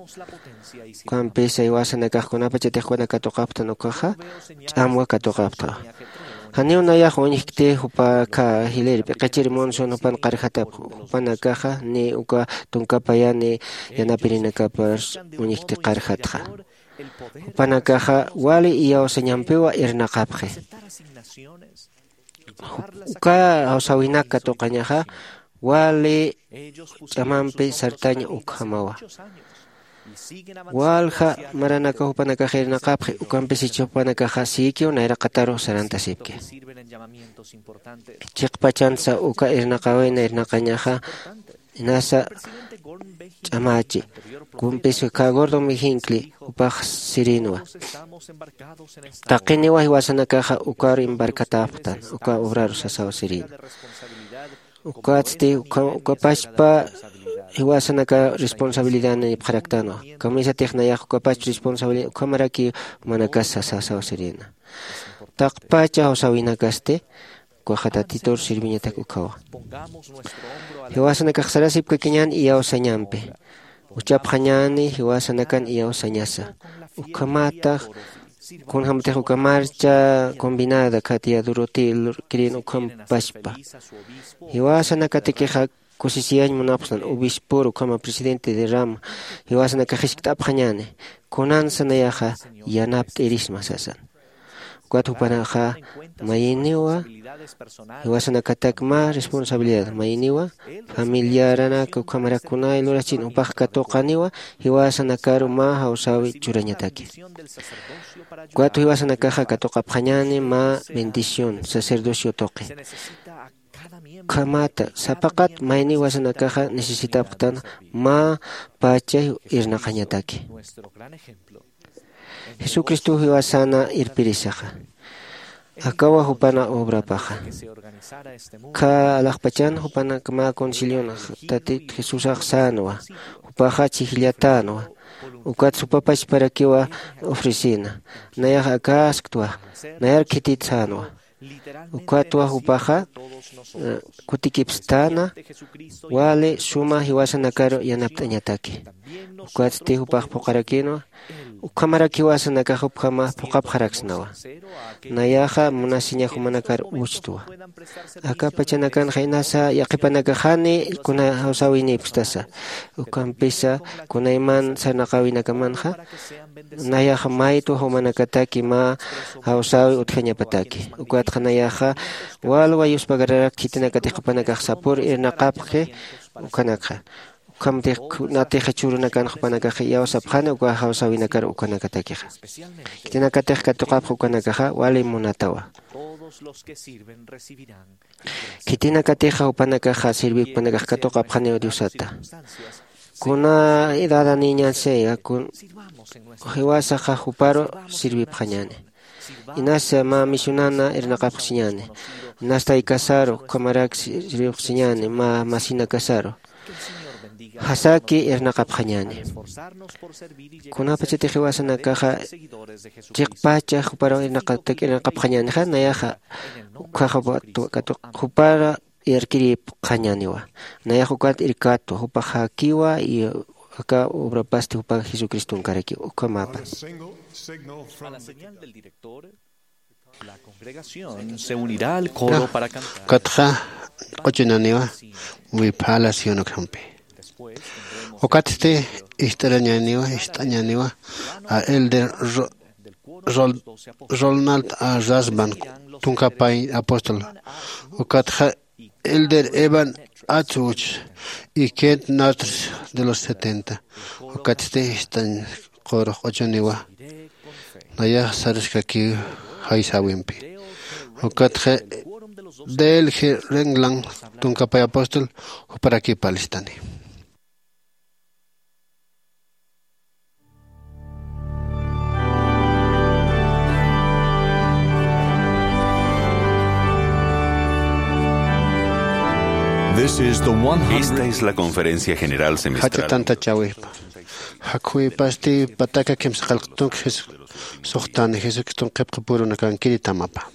Ukampisa iwasanakax kunapachatix jupanak katuqapxtan ukaxa ch'amwa katuqapxta. Janiw nayax uñjkti jupa aka jilïr p'iqichir Monson jupan qarjatapx, jupanakaxa ni uka tunka payani yanapirinakapar uñjkti qarjatxa. Jupanakaxa wali iyawsañampiwa irnaqapxi. Uka jawsäwinak katuqañaxa wali ch'amampi sartañ ukhamawa. Walja maranaka jupanakax irnaqapxi, ukampisichi jupanakaxa sïkiw nayraqataru sarantasipki. Chiqpachansa uka irnaqawina irnaqañaxa inasa ch'amachi. Kumpis uka Gordon Hinckley jupax sirinwa. Taqiniwa jiwasanakaxa ukar embarcatäpxtan uka obraru sasaw sirina. Ukatsti uka pachpa jiwasanaka responsabilidad nipxaraktanwa. Kamisatix nayax uka pachpa responsabilidad ukhamaraki jumanakasa sasaw sirina. Taqpacha jawsäwinakasti ukaxa Tatitur sirviñatak ukhawa. Jiwasanakax sarasipkakiñän iyawsañampi. Uchapxañäni jiwasanakan iyawsañasa. Ukhamatax kunjämatix uka marcha combinada khatiyä Dorothy Lurkirin ukham pachpa. Jiwasanakatikixa kusisiyañ munapxtan obispor ukhama presidente de rama jiwasanakax jiskt'apxañäni. Kunansa nayaxa yanapt'irisma sasan. Ukat jupanaxa mayiniwa jiwasanakatak mä responsabilidad mayiniwa familiaranaka ukhamarak kunay lurachin jupax katuqaniwa jiwasanakaru mä jawsäwi churañataki. Ukat jiwasanakaxa katuqapxañäni mä bendición sacerdocio tuqi. Ukhamata sapaqat mayni jiwasanakaxa necesitapxtan mä pachay irnaqañataki. Jesucristo jiwasana irpirisaxa. Akawa jupana obrapaxa. Kha alaxpachan jupanak mä concilion tatit Jesusax sänwa. Jupaxa chhijllatänwa. Ukat supapachparakiwa ofrecina. Nayax akasktwa. Nayar khitit sänwa. Ukatwa jupaxa kutikipstana wali suma jiwasanakaru yanapt'añataki. Ukatsti jupax phuqarakinwa. Ukhamaraki jiwasanakax ukhama phuqapxaraksnawa. Nayaxa munasiña jumanakar uchtwa. Aka pachanakanxa inasa yaqhipanakaxani kuna jawsäwinipkstasa. Ukhampisa kunayman sarnaqäwinakamanxa nayaxa maytwa jumanakataki mä jawsäwi utjañapataki. Ukatxa nayaxa walwa yuspagararak khitinakatix jupanakax sapur irnaqapxi. Ukhanakxa ukhamtix kunatixa churunakan jupanakax iyawsapxani uka jawsäwinakar ukhanakatakixa. Khitinakatix katuqapxi ukanakaxa wali munatawa. Khitinakatixa jupanakaxa sirvipkanakax katuqapxaniw Diosata. Kuna edadaniñan sea jiwasaxa juparu sirvipxañani. Inasa mä misionana irnaqapxsiñani. Inastaykasaru ukhamarak sirvipxsiñani mä masinakasaru. Jasaki irnaqapxañani. Kunapachatix jiwasanakaxa chiqpacha juparu irnaqatak irnaqapxañanixa nayaxa ukhaxa jupara irkiripxañaniwa. Nayax ukat irkatwa jupax jakiwa y aka obrapasti jupa Jesucristonkarakiwa ukhamäpan. Ukatxa q'uchunaniwa wiphala Sion ukhampi. Ukatsti ist'arañaniwa ist'añaniwa a elder Ronald a Rasband tunka pay apóstol. Ukatxa elder Evan Atsuch y Kent Natris de los setenta. Ukatsti ist'añ qurux q'uchuniwa. Nayax saraskakiw jaysäwimpi. Ukatxa delge renglan tunka pay apóstol juparakipalistani. This is the one hundred. Esta es la conferencia general semestral. Jach'a tantachäwipa. Jakhuwipasti pataka kimsa qillqatunk Jes-, suxtani Jesucriston qhipqi purunakankiri tamapa.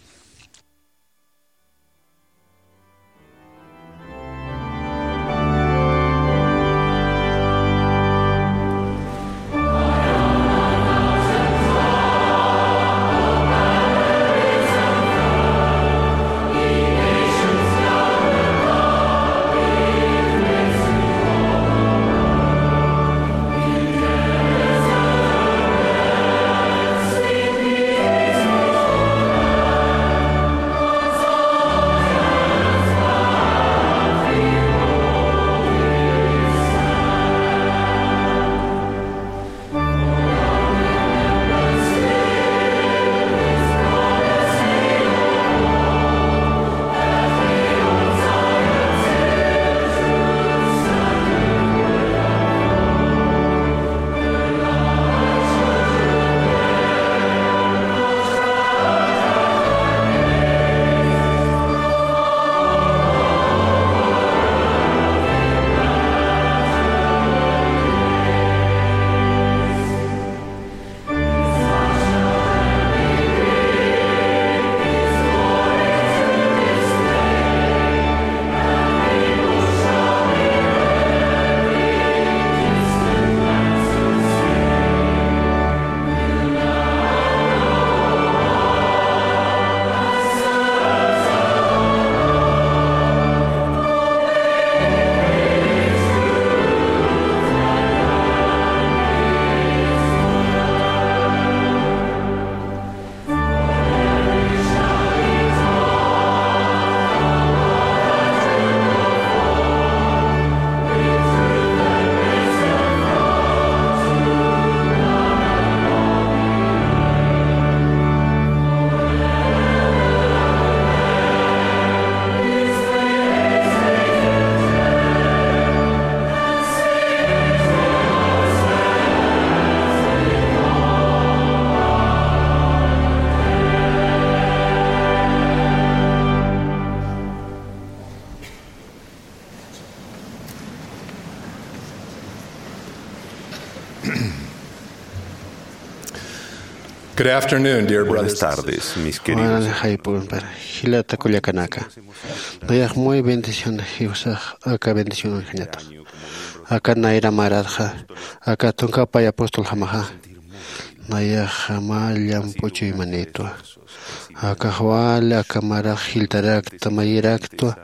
Good afternoon, dear brothers. Buenas tardes, mis queridos. Jayp'unpar jilata kullakanaka. Nayax muy bendición jiwsax aka bendición uñjañatax. Aka nayra maratxa, aka tunka pay apostol jamaxa. Nayax mä llamp'u chuymanitwa. Akax wali aka marax jiltarakta, mayiraktwa,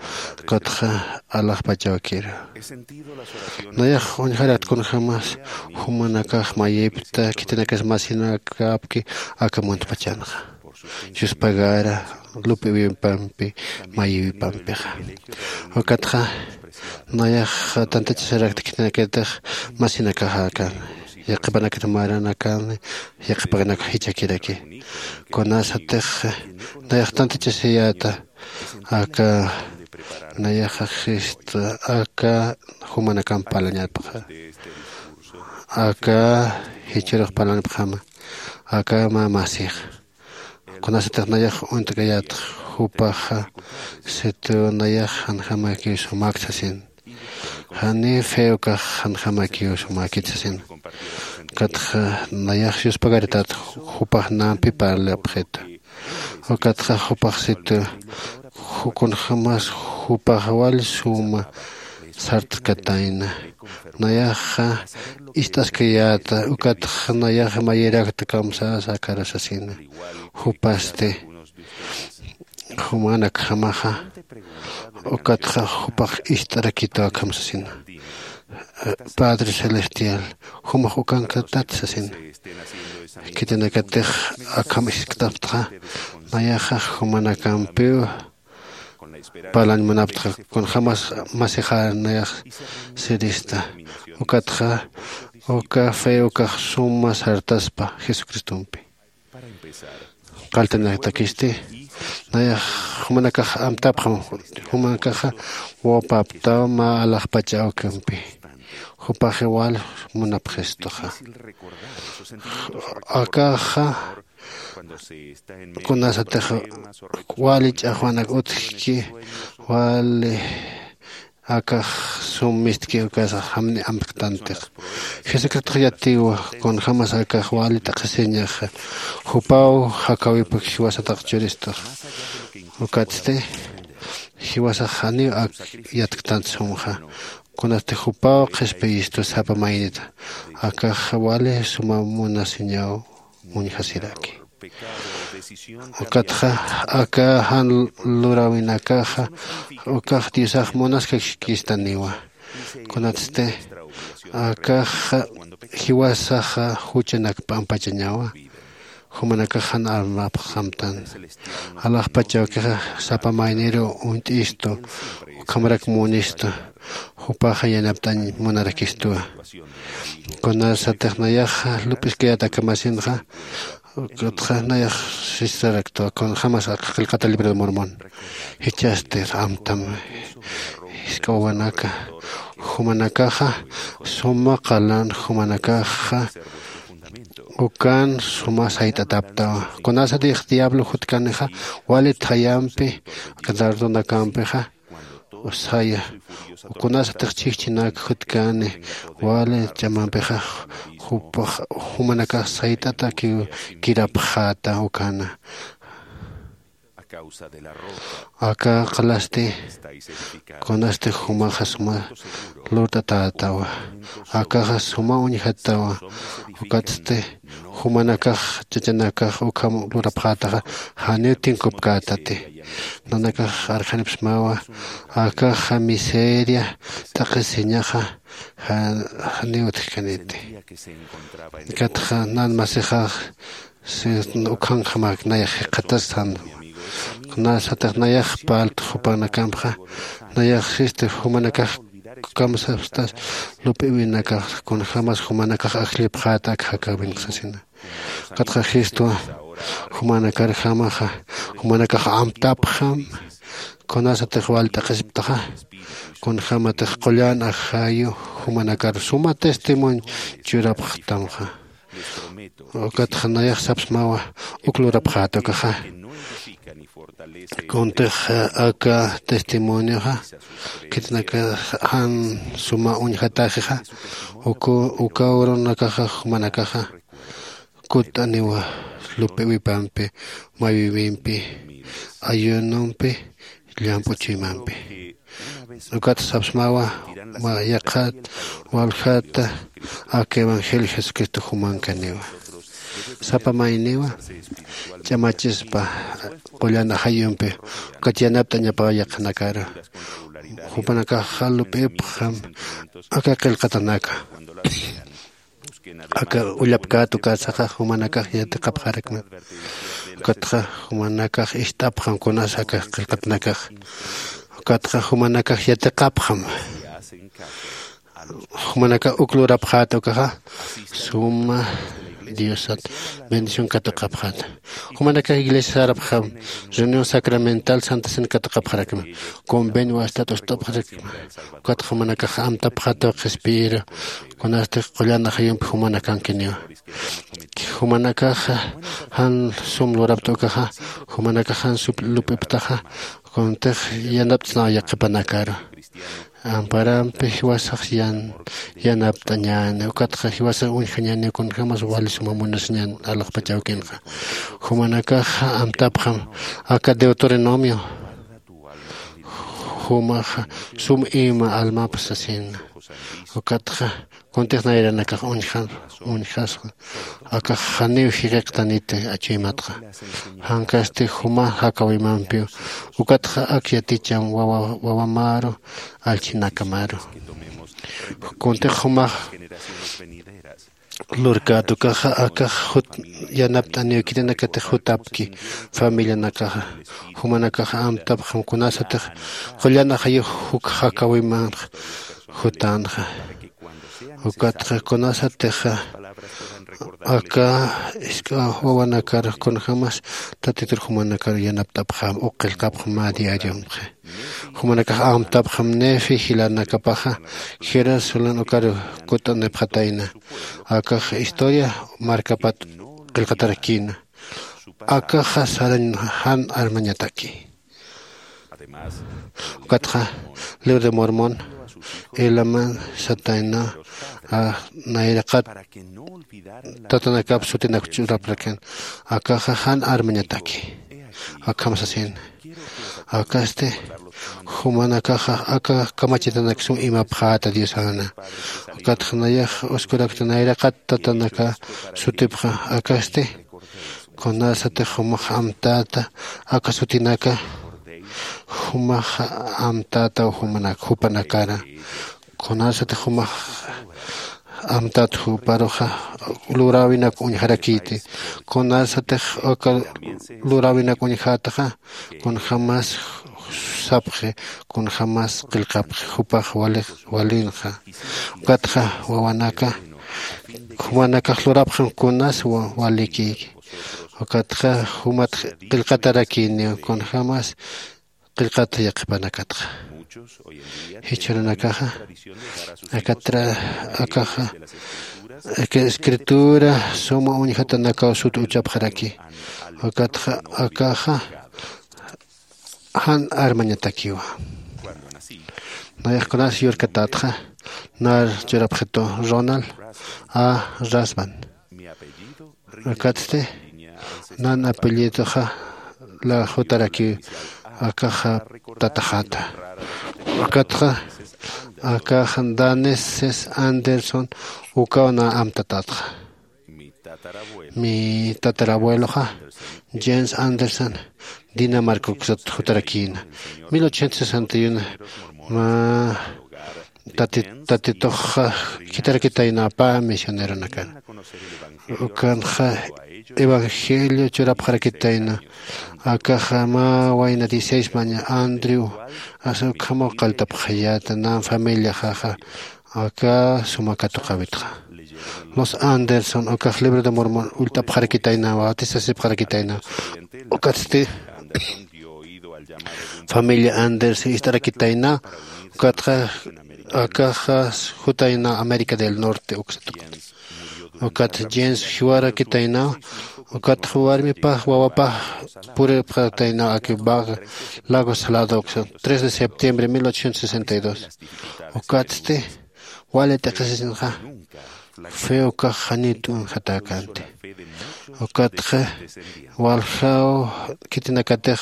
ukatxa alaxpachawkiru. Nayax uñjarakt kunjämas jumanakax mayipta, khitinakas masinakapki aka muntpachanxa. Yuspagara lup'iwipampi, mayïwipampixa. Ukatxa nayax tantachasarakt khitinakatix masinakaxa akan. Yaqhipanakata maranakan, yaqhipanakax jichhakiraki. Kunasatix nayax tantachasiyäta, aka nayaxa Cristo, aka jumanakamp parlañatxa. Aka jichhürux parlañapxama, aka mä masix. Kunasatix nayax uñt'kayät jupaxa, situ nayax janjamakiw sumäkt sasin. Jani fe ukax janjamakiw sumäkit sasin. Ukatxa nayax yuspagaritat jupax nampi parlapxitu. Ukatxa jupax situ, ju-, kunjämas jupax wal suma sartkatayna. Nayaxa ist'askayäta, ukatxa nayax mayirakta kamsasa akara sasina. Jupasti jumanakjamaxa, ukatxa jupax ist'arakitwa akham sasina. Padre Celestial, jumax ukankatat sasina. Khitinakatix akham isktaxptxa, nayaxa jumanakampiw parlañ munaptxa, kunjämas masixar nayax sirista. Ukatxa, uka fe ukax suma sartaspa Jesucristompi. Qalltanatakisti, nayax jumanakax amtapxam, jumanakaxa wawpaptaw mä alaxpach awkimpi. Jupax igual munapxistuxa. Akaxa, kunasatix wali ch'axwanak utjki, wali Akax sum mistki ukasax jamni amtktantix. Jesucristox yatiwa kunjämas akax wali t'aqhisiñaxa jupaw jakäwipak jiwasataq churistax. Ukatsti jiwasax janiw ak yatktant sumxa. Kunasti jupaw qhispiyistu sapa maynita akax wali suma munasiñaw uñjasiraki. Ukatxa aka jan luräwinakaxa ukax diosax munaskakistaniwa. Kunatsti akaxa jiwasaxa juchanak p'ampachañawa. Jumanakax jan armapxamtan. Alaxpach awkixa sapa mayniru uñt'istu ukhamarak munistu. Jupaxa yanapt'añ munarakistuwa. Kunasatix nayaxa lup'iskayät akamasinxa ukatxa nayax sistaraktwa kunjämas aka qillqata libro de mormón. Jichhasti amtam jisk'a wawanaka jumanakaxa suma qalan jumanakaxa ukan suma sayt'ataptawa. Kunasatix diablo jutkanixa wali thayampi aka dardonakampixa usaya. Kunasatix chhijchhinak jutkani wali ch'amampixa jupax jumanakax sayt'atakiw kirapxäta ukana. Aka qalasti kunasti jumaxa suma lurt'atätawa. Akaxa suma uñjatawa. Ukatsti jumanakax chachanakax ukham lurapxätaxa janiw tinkupkätati. Nanakax arxanipsmawa akaxa miseria t'aqhisiñaxa janiw utjkaniti. Ukatxa nan masixax ukhanjamax nayax jikxatastan. Kunasatix nayax parltx jupanakampxa nayax sisti jumanakax kamsapstas lup'iwinakax kunjämas jumanakax ajllipxäta ak jakäwinxa sasina. Ukatxa jistwa jumanakärjamaxa jumanakax amtapxam. Kunasatix wali t'aqhisiptaxa kunjämatix qullan ajayu jumanakar suma testimonio churapxtamxa. Ukatxa nayax sapsmawa uk lurapxäta ukaxa. Kuntix aka testimonioxa khitinakax jan suma uñjatäxixa uka urunakaxa jumanakaxa kutt'aniwa lup'iwipampi maywimpi ayunompi llamp'u chuymampi. Ukat sapsmawa yaqhat waljata aka evangelio jesucristo jumankaniwa. Sapa mayniwa ch'amachispa qullan ajayumpi ukat yanapt'añapawa yaqhanakaru. Jupanakaxa lup'ipxam aka qillqatanaka. Aka ullapkät ukasaxa jumanakax yatiqapxarakma. Ukatxa jumanakax ist'apxam kunas aka qillqatnakax. Ukatxa jumanakax yatiqapxam. Jumanakax uk lurapxäta ukaxa suma diosat bendición katuqapxäta. Jumanakax iglesia sarapxam reunión sacramental santa cena katuqapxarakma. Convenio wastat ust'apxarakma. Ukatxa jumanakax amtapxäta qhispiyiru kunastix qullan ajayumpi jumanakankiniwa. Jumanakaxa jan sum lurapta ukaxa jumanakax jan sum lup'iptaxa kuntix yanapt'snaw yaqhipanakaru. Amparampi jiwasax yan yanapt'añäni ukatxa jiwasax uñjañäni kunjämas wali suma munasiñän alaxpach awkinxa. Jumanakaxa amtapxam aka deuteronomio jumaxa sum ima almapxsasina. Ukatxa kuntix nayranakax uñjasxa akax janiw jiqiqtaniti achuymatxa. Jankasti juma jakawimampiw ukatxa ak yaticham wawamaru allchhinakamaru. Kuntix jumax lurkät ukaxa akax jut yanapt'aniw khitinakatix jutapki familianakaxa. Jumanakaxa amtapxam kunasatix qullan ajayux juk jakawimanx jutänxa. Ukatxa kunasatixa aka isk'a wawanakar kunjämas tatitur jumanakar yanapt'apxam uk qillqapxam mä diariomxi. Jumanakax amtapxam nefi jilanakapaxa jerusalén ukaru kutt'anipxatayna. Akax historia markapat qillqatarakïna. Akaxa sarañ jan armañataki. Ukatxa libro de Mormon ilaman satayna nayraqat tatanakap sutinak ch'uraprakan. Akaxa jan armañataki. Akham sasin, akasti jumanakaxa aka kamachitanak sum imapxäta diosana. Ukatxa nayax uskurakta nayraqat tatanaka sutipxa akasti, kunasatix jumax amtäta aka sutinaka, jumax amtätaw jumanak jupanakara. Kunasatix jumax amtät juparuxa luräwinak uñjarakïti. Kunasatix aka luräwinak uñjätaxa kunjämas sapxi, kunjämas qillqapxi jupax walinxa. Ukatxa wawanaka jumanakax lurapxam kunas walikïki. Ukatxa jumat qillqatarakïniw kunjämas qillqata yaqhipanakatxa. Jichhürunakaxa akatra akaxa aka escritura suma uñjatanakaw sut uchapxaraki. Ukatxa akaxa jan armañatakiwa. Nayaxkunas yurkatätxa nar churapxitu Ronald a Rasban. Ukatsti nan apellidoxa la jutarakiw akaxa tataxata. Ukatxa akaxa daneses Anderson ukaw na amtatatxa. Mi tatarabueloxa James Anderson Dinamarca uksat jutarakïna. Mil ochocientos sesenta y uno ma tatitoxa khitarakitayna pä misioneronakan. Ukanxa evangelio churapxarakitayna. Akaxa mä wayna dieciséis maña Andrew asa ukhamaw qalltapxayäta nan familiaxaxa aka suma katuqäwitxa. Los Anderson ukax libro de Mormon ullt'apxarakitayna bautisasipxarakitayna. Ukatsti familia Anders ist'arakitayna. Ukatxa akaxa jutayna América del Norte uksatukat. Ukat James jiwarakitayna. Ukat warmipax wawapax puripxatayna aki Baga Lago Salado uksa tres de septiembre mil ochocientos sesenta y dos. Ukatsti wali t'iqisisinxa fe ukax janit uñjatäkänti. Ukatxa waljaw khitinakatix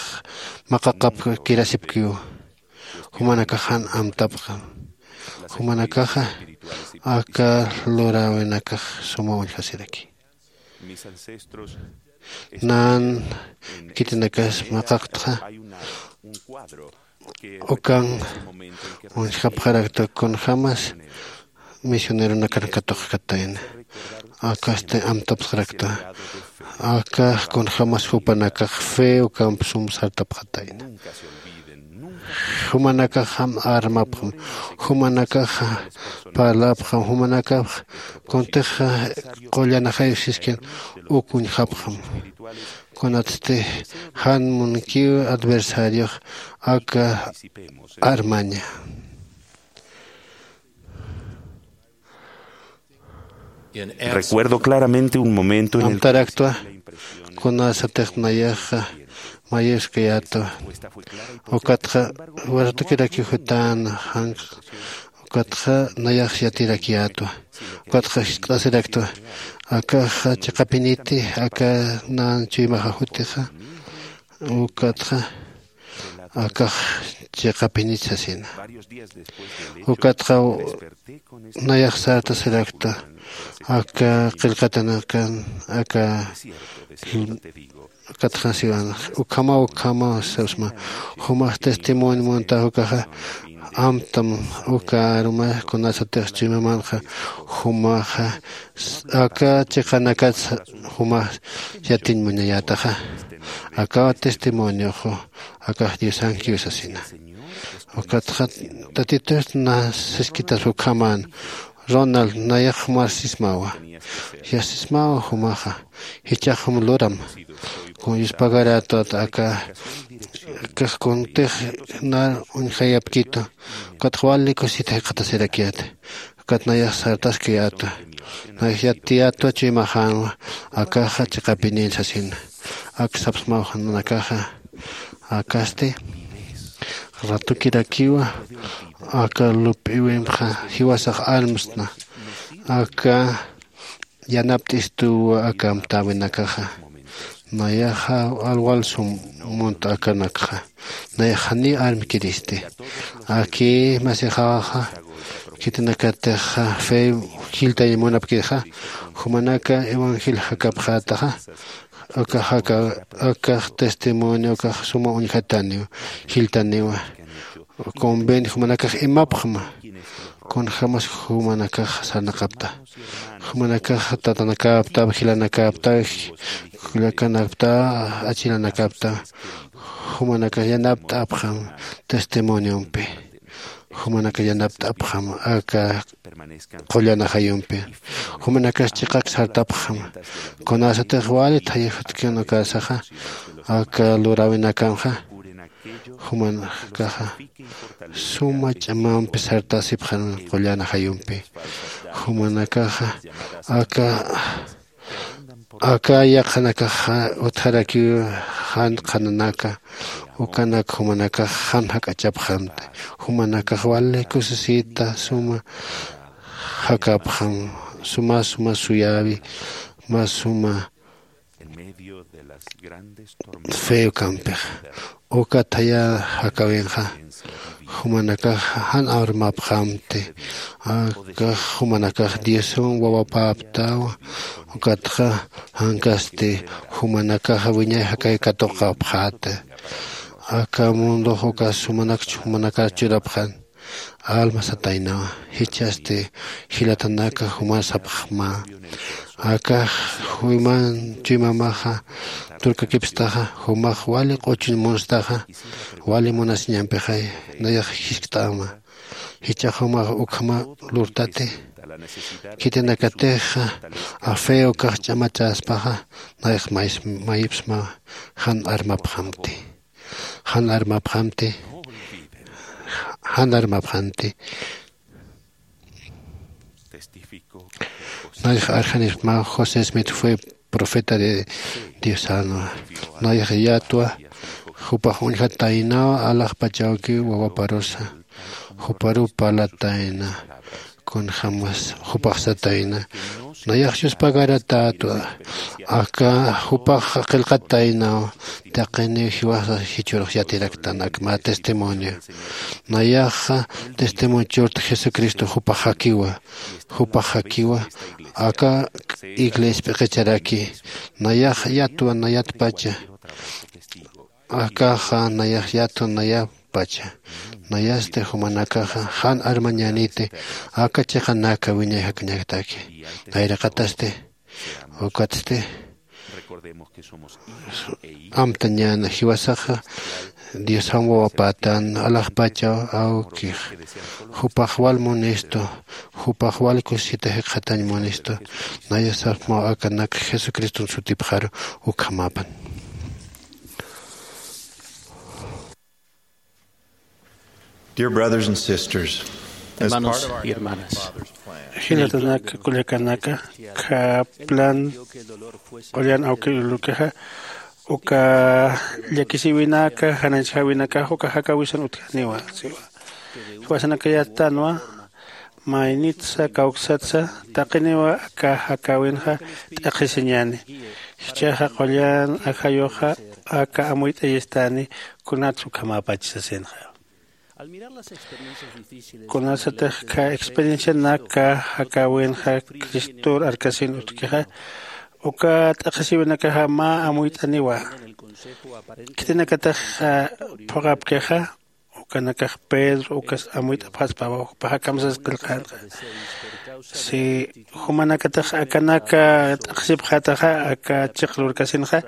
maqaqapkirasipkiw. Jumanakax jan amtapxam. Jumanakaxa aka luräwinakax suma uñjasiraki. Nan khitinakas maqaqtxa ukan uñjapxarakta kunjämas misioneronakan katuqkatayna. Akasti amtapxarakta aka kunjämas jupanakax fe ukamp sum sartapxatayna. Jumanakaxam armapxam. Jumanakaxa parlapxam jumanakax kuntixa qullanaxay siskin uk uñjapxam. Kunatsti jan munkiw adversariox aka armaña. Recuerdo claramente un momento en el kunasatix nayaxa mayuskayätwa. Ukatxa wartukirakiw jutän janq. Ukatxa nayax yatirakyätwa. Ukatxa jiskt'asiraktwa akaxa chiqapiniti aka nan chuymaxa jutixa. Ukatxa akax chiqapinit sasina. Ukatxa nayax sartasirakta aka qillqatanakan aka katxasiwan ukhamaw ukhamaw sapsma. Jumax testimonio munta ukaxa amtam uka aruma kunasatix chuymamanxa jumaxa aka chiqanakat jumax yatiñ muñayätaxa. Akaw testimonioxu akax diosankiw sasina. Ukatxa tatitust na siskitas ukhaman Ronald nayax jumar sismawa. Yasismawa jumaxa jichhax jum luram. Kun yuspagarätwat aka akax kuntix nar uñjayapkitu. Ukatxa wali kusita jikxatasirakyäta. Ukat nayax sartaskayätwa. Nayax yatiyätwa chuymaxänwa akaxa chiqapinïn sasina. Ak sapsmaw nanakaxa akasti Ratukirakiwa aka lup'iwimxa jiwasax almsna aka yanapt'istuwa aka amtäwinakaxa. Nayaxa alwal sum munt akanakxa nayax janiw armkiristi. Aki masixawaxa khitinakatixa fe jiltañ munapkixa jumanaka evangel jakapxätaxa. Ukax aka akax testimonio ukax suma uñjataniw jiltaniwa. Convent jumanakax imapxma kunjämas jumanakax sarnaqapta. Jumanakax tatanakäptaw jilanakäptaw kullakanakta achilanakäpta. Jumanakax yanapt'apxam testimoniompi. Jumanakax yanapt'apxam aka qullan ajayumpi. Jumanakax chiqak sartapxam kunasatix wali thayajatkinukasaxa aka luräwinakamxa. Jumanakaxa suma ch'amampi sartasipxan qullan ajayumpi. Jumanakaxa aka aka yaqhanakaxa utjarakiw jan qhananaka ukanak jumanakax jan jak'achapxamti. Jumanakax wali kusisita suma jakapxam suma suma suyäwi mä suma feo kampixa. Uka thaya jakawinxa jumanakax jan armapxamti. Akax jumanakax diosan wawapäptawa. Ukatxa jankasti jumanakax wiñay jakaw katuqapxäta. Aka mundox uka sumanakch jumanakax churapxan alma sataynawa. Jichhasti jilatanaka jumax sapxma. Akax juyman chuymamaxa turkakipstaxa jumax wali q'uchuñ munstaxa wali munasiñampixay. Nayax jiskt'ama jichhax jumax ukhama lurtati. Khitinakatixa afeo ukax ch'amachaspaxa nayax mayipsma jan armapxamti. Jan armapxamti. Jan armapxamti. Nayax arjanipxma josé smith fue profeta de diosanwa. Nayax yatwa jupax uñjataynaw alaxpachawkiw wawaparusa juparuw parlatayna. Kunjämas jupax satayna nayax yuspagaratätwa. Aka jupax qillqataynaw taqiniw jiwasa jichhürux yatiraktan ak mä testimonio. Nayaxa testimonio churta jesucristo jupax jakiwa. Jupax jakiwa aka iglesia p'iqicharaki. Nayax yatwa nayatpacha. Akaxa nayax yatwa nayatpacha. Nayasti jumanakaxa jan armañäniti aka chiqanaka wiñay jakañaktaki. Nayraqatasti ukatsti amtañäna jiwasaxa diosam wawapätän alaxpachaw awkix. Jupax wal munistu jupax wal kusisita jikxatañ munistu. Naya sapxmaw akanak jesucriston sutipxaru ukhamapan. Dear brothers and sisters, as part Hermanos of our y hermanas, Father's plan, jilatanaka kullakanaka khä plan qullan awki ulukixa uka llakisïwinaka janañchjäwinakax uka jakäwisan utjaniwa. Siwa jiwasanakayätanwa maynitsa kawksatsa taqiniwa aka jakäwinxa t'aqhisiñäni. Jichhaxa qullan ajayuxa aka amuyt'ayistani kunats ukhamäpach sasinxa. Kunasatix khä experiencianaka jakäwinxa cristor arkasin utjkixa uka t'aqhisiwinakaxa mä amuyt'aniwa. Khitinakatix phuqhapkixa ukanakax pedro ukas amuyt'apxaspawa jupax akham sas qillqänxa. Si jumanakatix akanaka t'aqhisipxätaxa aka chiq lurkasinxa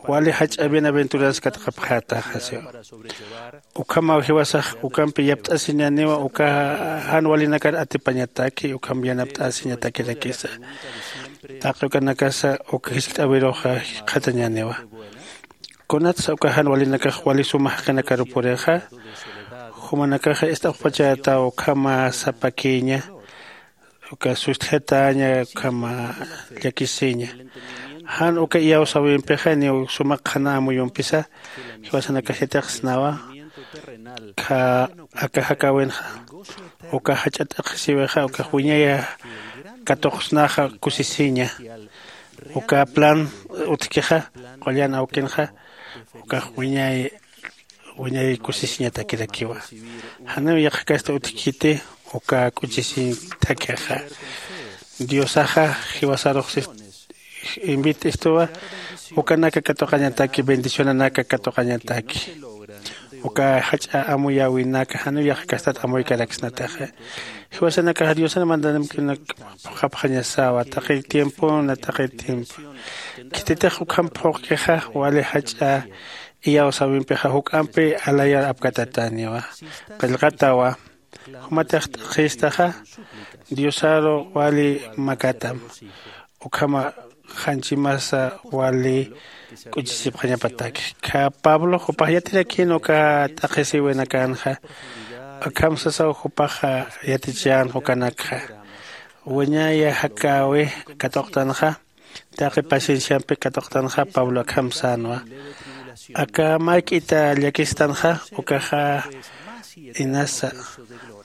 wali jach'a bienaventuras katqapxätaxa siwa. Ukhamaw jiwasax ukampi yapt'asiñäniwa uka jan walinakar atipañataki ukham yanapt'asiñatakirakisa. Taqi ukanakasa uka jiskt'äwirux jikxatañäniwa. Kunatsa uka jan walinakax wali suma jaqinakaru purixa jumanakaxa ist'apxpachätaw ukhama sapakïña uka sustjataña ukhama llakisiña. Jan uka iyawsäwimpixa niw suma qhana amuyumpisa jiwasanakax yatiqsnawa. Kha aka jakäwinxa uka jach'a t'aqhisiwixa ukax wiñay katuqsnaxa kusisiña. Uka plan utjkixa qullan awkinxa ukax wiñay wiñay kusisiñatakirakiwa. Janiw yaqhakasti utjkiti uka k'uchisiñtakixa. Diosaxa jiwasarux invit'istuwa ukanaka katuqañataki bendicionanaka katuqañataki. Uka jach'a amuyäwinaka janiw yaqhakastat amuykaraksnataxa. Jiwasanakaxa diosan mandanamkinak phuqhapxañasawa taqi tiempona taqi tiempo. Khititix ukham phuqkixa wali jach'a iyawsäwimpixa juk'ampi alayar apkatataniwa. Qillqatawa jumatix t'aqhistaxa diosaru wali makatam. Ukhama janchimasa wali k'uchisipxañapataki. Kha pablo jupax yatirakïn uka t'aqhisiwinakänxa. Akham sasaw jupaxa yatichänxa ukanakxa wiñaya jakäwi katuqtanxa. Taqi pacienciampi katuqtanxa pablo akham sänwa. Aka mä jik'ita llakistanxa ukaxa inasa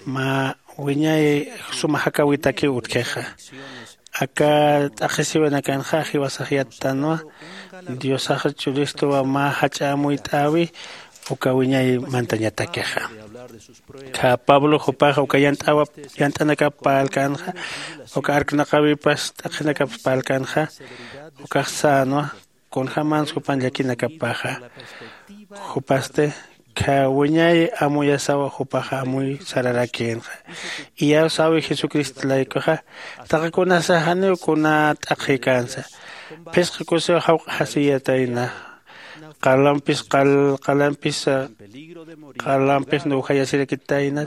mä wiñay suma jakäwitakiw utjkixa. Aka t'aqhisiwinakanxa jiwasax yattanwa. Diosax churistuwa mä jach'a amuyt'äwi uka wiñay mantañatakixa. Kha pablo jupaxa uka yant'awa yant'anakap parlkänxa uka arknaqäwipas t'aqhinakap parlkänxa. Ukax sänwa kunjämans jupan llakinakapaxa. Jupasti kha wiñay amuyasawa jupaxa amuy sararakïnxa. Iyawsäwi jesucristo laykuxa taqi kunasa janiw kuna t'aqhïkänsa. Phisqa kusiw jawq'asiyatayna qalampis qalampis qalampis nuwjayasirakitayna.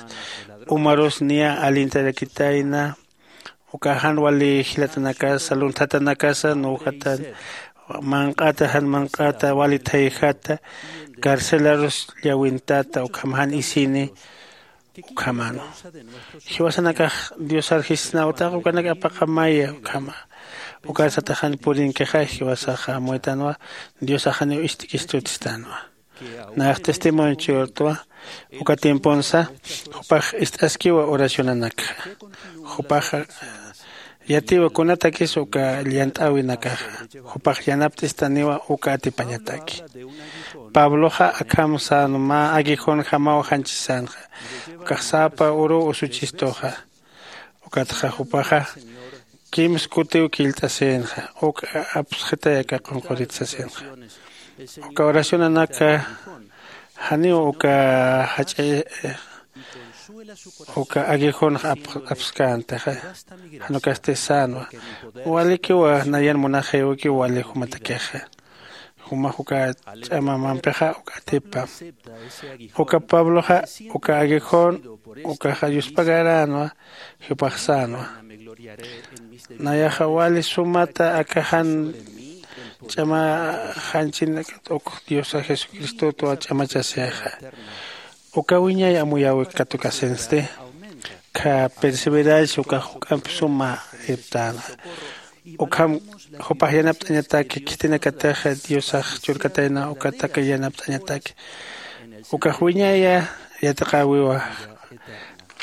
Umarus niya alintarakitayna. Uka jan wali jilatanakasa lunthatanakasa nuwjatan manq'ata jan manq'ata wali thayjata carcelarus llawintata ukham jan isini. Ukhaman jiwasanakax diosar jisisnaw taq ukanak apaqamaya ukhama. Ukarsataxan purinkixa jiwasaxa amuytanwa diosaxaniw ist'kistutstanwa. Nax testimonio churtwa uka tiemponsa jupax ist'askiwa oracionanakxa. Jupaxa yatiwa kunatakis uka llant'äwinakaxa jupax yanapt'istaniwa uka atipañataki. Pabloxa akham sän mä aguijón jamaw janchisänxa ukax sapa uruw usuchistuxa. Ukatxa jupaxa kimsa kutiw killt'asïnxa uk apsxitay aka qunqurit sasïnxa. Uka oracionanaka janiw uka jach'a uka aguijón apskäntixa. Jan ukasti sänwa walikiwa nayan munaxïwikiw wali jumatakixa. Jumax uka ch'amamampixa uka atipam uka pabloxa uka aguijón ukaxa yuspagaränwa. Jupax sänwa nayaxa wali sumata aka jan ch'ama janchinakat uk diosa jesucristotwa ch'amachasixa. Uka wiñay amuyäwik katukasinsti kha perseverancia ukax juk'amp suma irptänxa. Ukham jupax yanapt'añataki khitinakatixa diosax churkatayna ukataka yanapt'añataki. Ukax wiñaya yatiqäwiwa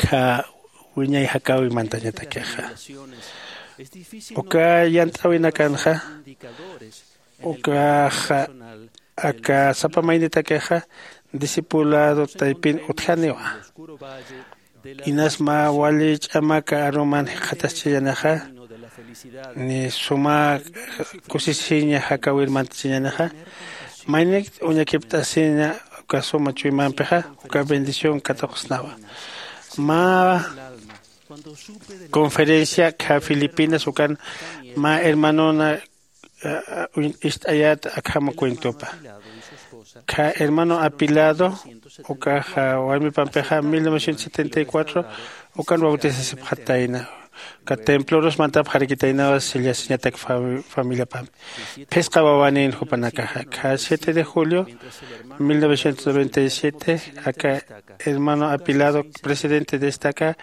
kha wiñay jakäwi mantañatakixa. Uka yant'äwinakanxa ukaxa aka sapa maynitakixa discipulado taypin utjaniwa. Inas mä wali ch'amaka aruman jikxataschañänixa ni suma kusisiña jakawir mantachañänixa. Maynik uñakipt'asiña uka suma chuymampixa uka bendición katuqsnawa. Mä conferencia kha filipinas ukan mä hermanona ist'ayät akhama cuentopa. Kha hermano apilado ukaxa warmipampixa mil novecientos setenta y cuatro ukan bautisasipxatayna. Uka templorus mantapxarakitaynawa sillasiñatak familiapampi. Phisqa wawanïn jupanakaxa kha siete de julio mil novecientos noventa y siete aka hermano apilado presidente de esta aka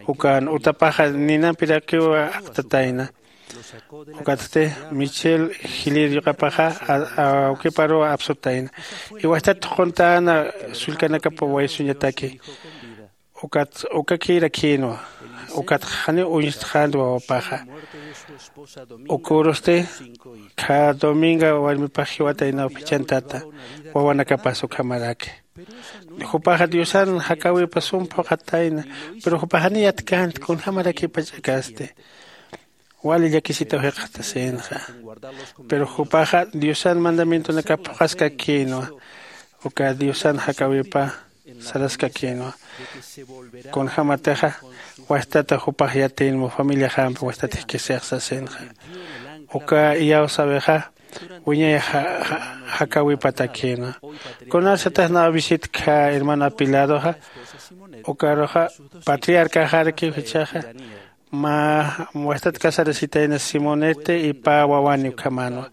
ukan utapaxa ninampirakiwa jaqtatayna. Ukatsti michel jilir yuqapaxa awkiparuw apsutayna. Iwastat thuquntäna sullkanakap waysuñataki. Ukat ukakïrakïnwa. Ukatxa janiw uñstxänti wawapaxa. Ukürusti khä dominga warmipax jiwataynaw phichhantata wawanakapas ukhamaraki. Jupaxa diosan jakäwipa sum phuqhatayna. Pero jupax janiy yatkänti kunjamarakipach'akasti. Wali llakisitaw jikxatasïnxa. Pero jupaxa diosan mandamientonakap phuqhaskakïnwa. Uka diosan jakäwipa saraskakïnwa. Kunjämatixa wastata jupax yatïnmu familiaxampi wastat jikisix sasïnxa. Uka iyawsäwixa wiñay jakäwipatakïnwa. Kunarsatix nawa visitkha hermano apiladoxa ukaruxa patriarcaxarakiw jichhaxa mä wastat casarasitayna simonete y pä wawani ukhamänwa.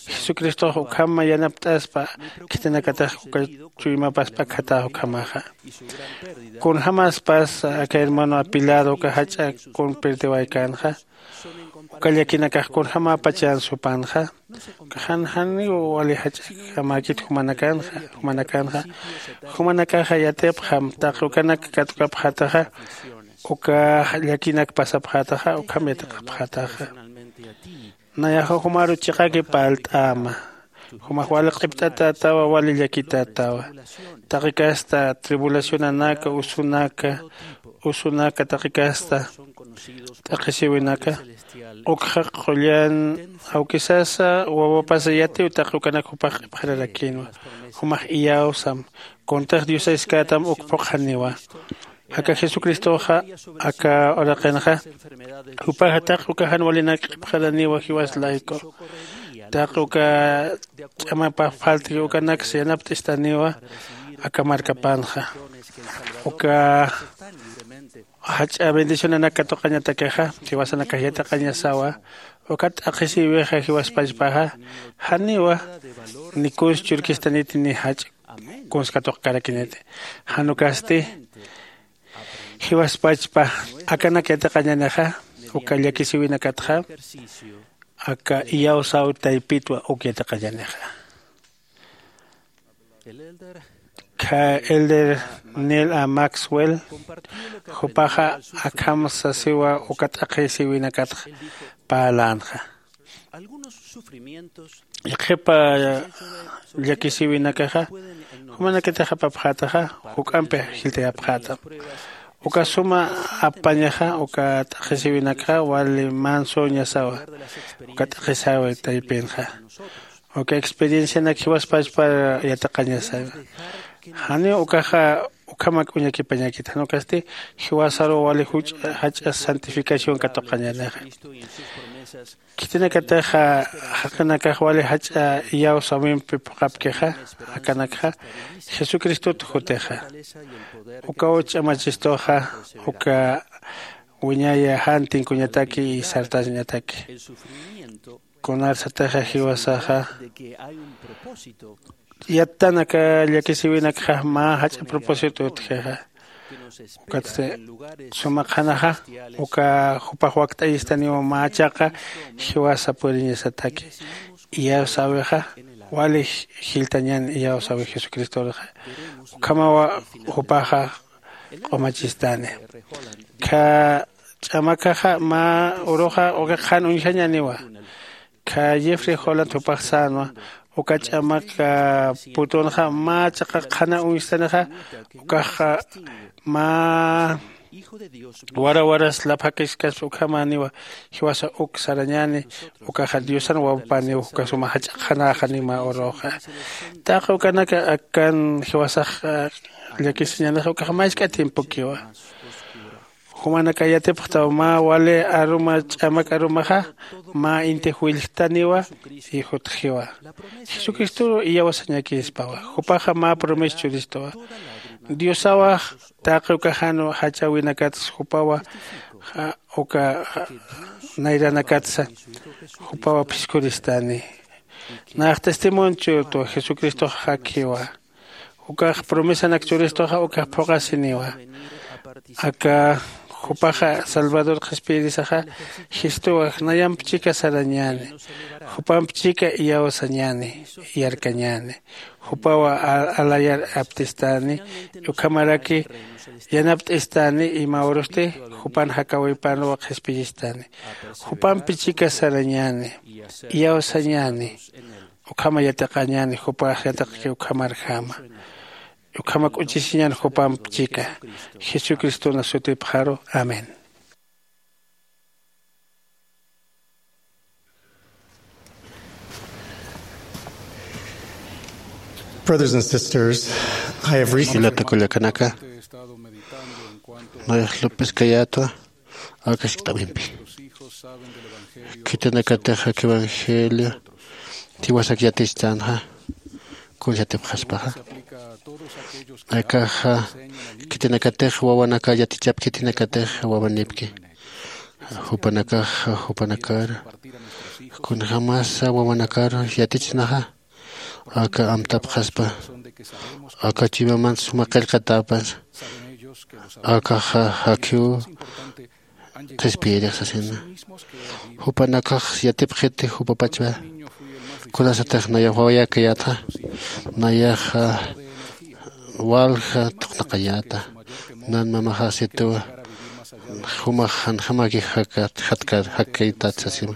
Jesucristox ukham yanapt'aspa khitinakatix uka chuymapaspa khatäx ukhamaxa. Kunjämäspas aka hermano apilado uka jach'a kun perdiwaykänxa uka llakinakax kunjämäpachan supanxa. Uka jan janiw wali jach'akämäkit jumanakanxa jumanakanxa. Jumanakaxa yatipxam taqi ukanak katukapxätaxa uka llakinak pasapxätaxa ukham yatiqapxätaxa. Nayaxa jumaru chiqaki parlt'äma. Jumax wali q'ipt'atätawa wali llakitätawa. Taqi kasta tribulacionanaka usunaka usunaka taqi kasta t'aqhisiwinaka ukxa qullan awkisasa wawapasa yatiw taqi ukanak jupax q'ipxararakïnwa. Jumax iyawsam kuntix diosaskätam uk phuqhaniwa. Aka jesucristoxa aka uraqinxa jupaxa taqi uka jan walinak q'ipxaraniwa jiwas layku. Taqi uka ch'amapax phaltki ukanaksa yanapt'istaniwa aka markapanxa. Uka jach'a bendicionanak katuqañatakixa jiwasanakax yatiqañasawa. Ukat t'aqhisïwixa jiwaspachpaxa janiwa ni kuns churkistaniti ni jach'a kuns katuqkarakiniti. Jan ukasti jiwaspachpa akanak yatiqañänixa uka llakisïwinakatxa aka iyawsäw taypitwa uk yatiqañänixa. Kha elder neil a maxwell jupaxa akham sasiwa uka t'aqhisïwinakatxa parlänxa. Yaqhipa llakisïwinakaxa jumanakatix apapxätaxa juk'ampi jiltayapxätam. Uka suma apañaxa uka t'aqhisïwinakxa wali mansüñasawa uka t'aqhisäwi taypinxa. Uka experiencianak jiwaspachpar yatiqañasawa. Janiw ukaxa ukhamak uñakipañakit jan ukasti jiwasaruw wali juch'a jach'a santificación katuqañänixa. Khitinakatixa jaqinakax wali jach'a iyawsäwimpi phuqhapkixa akanakxa jesucristot jutixa. Ukaw ch'amachistuxa uka wiñaya jan tinkuñataki y sartañataki. Kunarsatixa jiwasaxa yattan aka llakisïwinakxa mä jach'a propósito utjixa. Ukatsti suma qhanaxa uka jupax wakt'ayistaniwa mä chaqa jiwasa puriñasataki. Iyawsäwixa wali jiltañän iyawsäwi jesucristoruxa. Ukhamawa jupaxa q'umachistani. Kha ch'amakaxa mä uruxa uka qhan uñjañäniwa. Kha jeffrey holland jupax sänwa uka ch'amak putunxa mä chaqa qhana uñstanixa. Ukaxa mä wara waras laphakiskaspa ukhamäniwa. Jiwasa uk sarañäni ukaxa diosan wawapaniw uka suma jach'a qhanäxani mä uruxa. Taqi ukanaka akan jiwasax llakisiñänixa ukax mask'a tiempokiwa. Jumanaka yatipxtaw mä wali aruma ch'amak arumaxa mä intix willjtaniwa. Y jutjiwa jesucristoru iyawasañakispawa. Jupaxa mä promesa churistuwa. Diosawax taqi uka jan jach'äwinakatsa jupawa uka nayranakatsa jupawa phiskuristani. Nax testimonio churtwa jesucristox jakjiwa. Ukax promesanak churistuxa ukax phuqasiniwa. Aka Jupaxa salvador qhispiyirisaxa, jistuwa nayamp chika sarañäni, jupamp chika iyawsañäni, yarkañäni. Jupawa alayar aptistani, ukhamaraki yanapt'istani, ima urusti jupan jakawipanwa qhispiyistani. Jupampi chika sarañäni, iyawsañäni, ukhama yatiqañäni, jupax yatiqki ukhamarjama. Ukhama k'uchisiñan jupamp chika. Jesucristona sutipxaru. Amén. Brothers and sisters, I have recently Jilata kullakanaka, nayax lup'iskayätwa. Akasktamimpi khitinakatix ak evangelio tiwasak yatichtanxa, kunsatipxaspaxa. Akaxa khitinakatix wawanaka yatichap khitinakatix wawanipki, jupanakaxa jupanakar kunjamasa wawanakar yatichnaxa, aka amtapxaspa. Aka chuymaman suma qillqatapas, akaxa jakhiw qhispiyirix sasina. Jupanakax yatipxiti jupapachwa. Kunasatix nayax wawayakayätxa, nayaxa walja thuqnaqayäta. Nan mamaxax situwa jumax janjamaki jakkaytat sasima.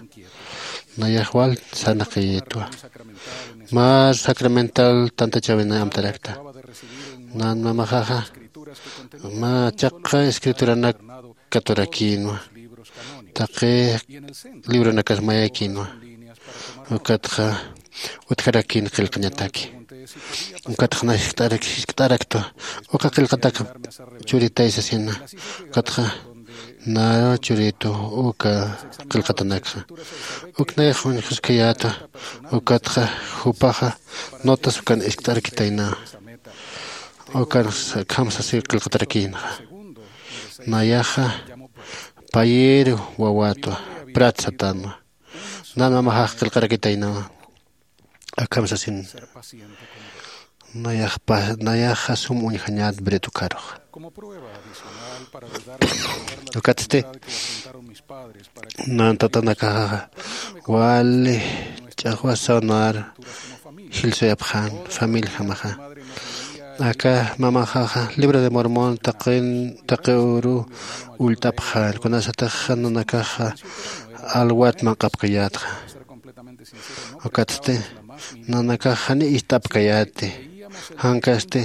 Nayax wal sarnaqayitwa. Mä sacramental tantachawinay amtarakta. Nan mamaxaxa mä chaqha escrituranak katurakïnwa, taqi libronakas mayakïnwa, ukatxa utjarakïn qillqañataki. Ukatxa nayax jiskt'araktwa, uka qillqatak churitay sasina. Ukatxa naru churitu uka qillqatanakxa. Uk nayax uñjuskayätwa, ukatxa jupaxa notas ukan iskt'arkitaynawa. Ukan akham sasi qillqatarakïnxa. Nayaxa payiru wawätwa, prat satanwa. Nan mamaxax qillqarakitaynawa. Akham sasin, nayaxpa nayaxa sum uñjañät bret ukharuxa. Ukatsti nan tatanakaxaxa wali ch'axwasaw nar jillsuyapxän familiajamaxa. Aka mamaxaxa libro de mormon taqin taqi uru ullt'apxän, kunasatix nanakaxa alwat manq'apkayätxa. Ukatsti nanakax jani ist'apkayäti. Jankasti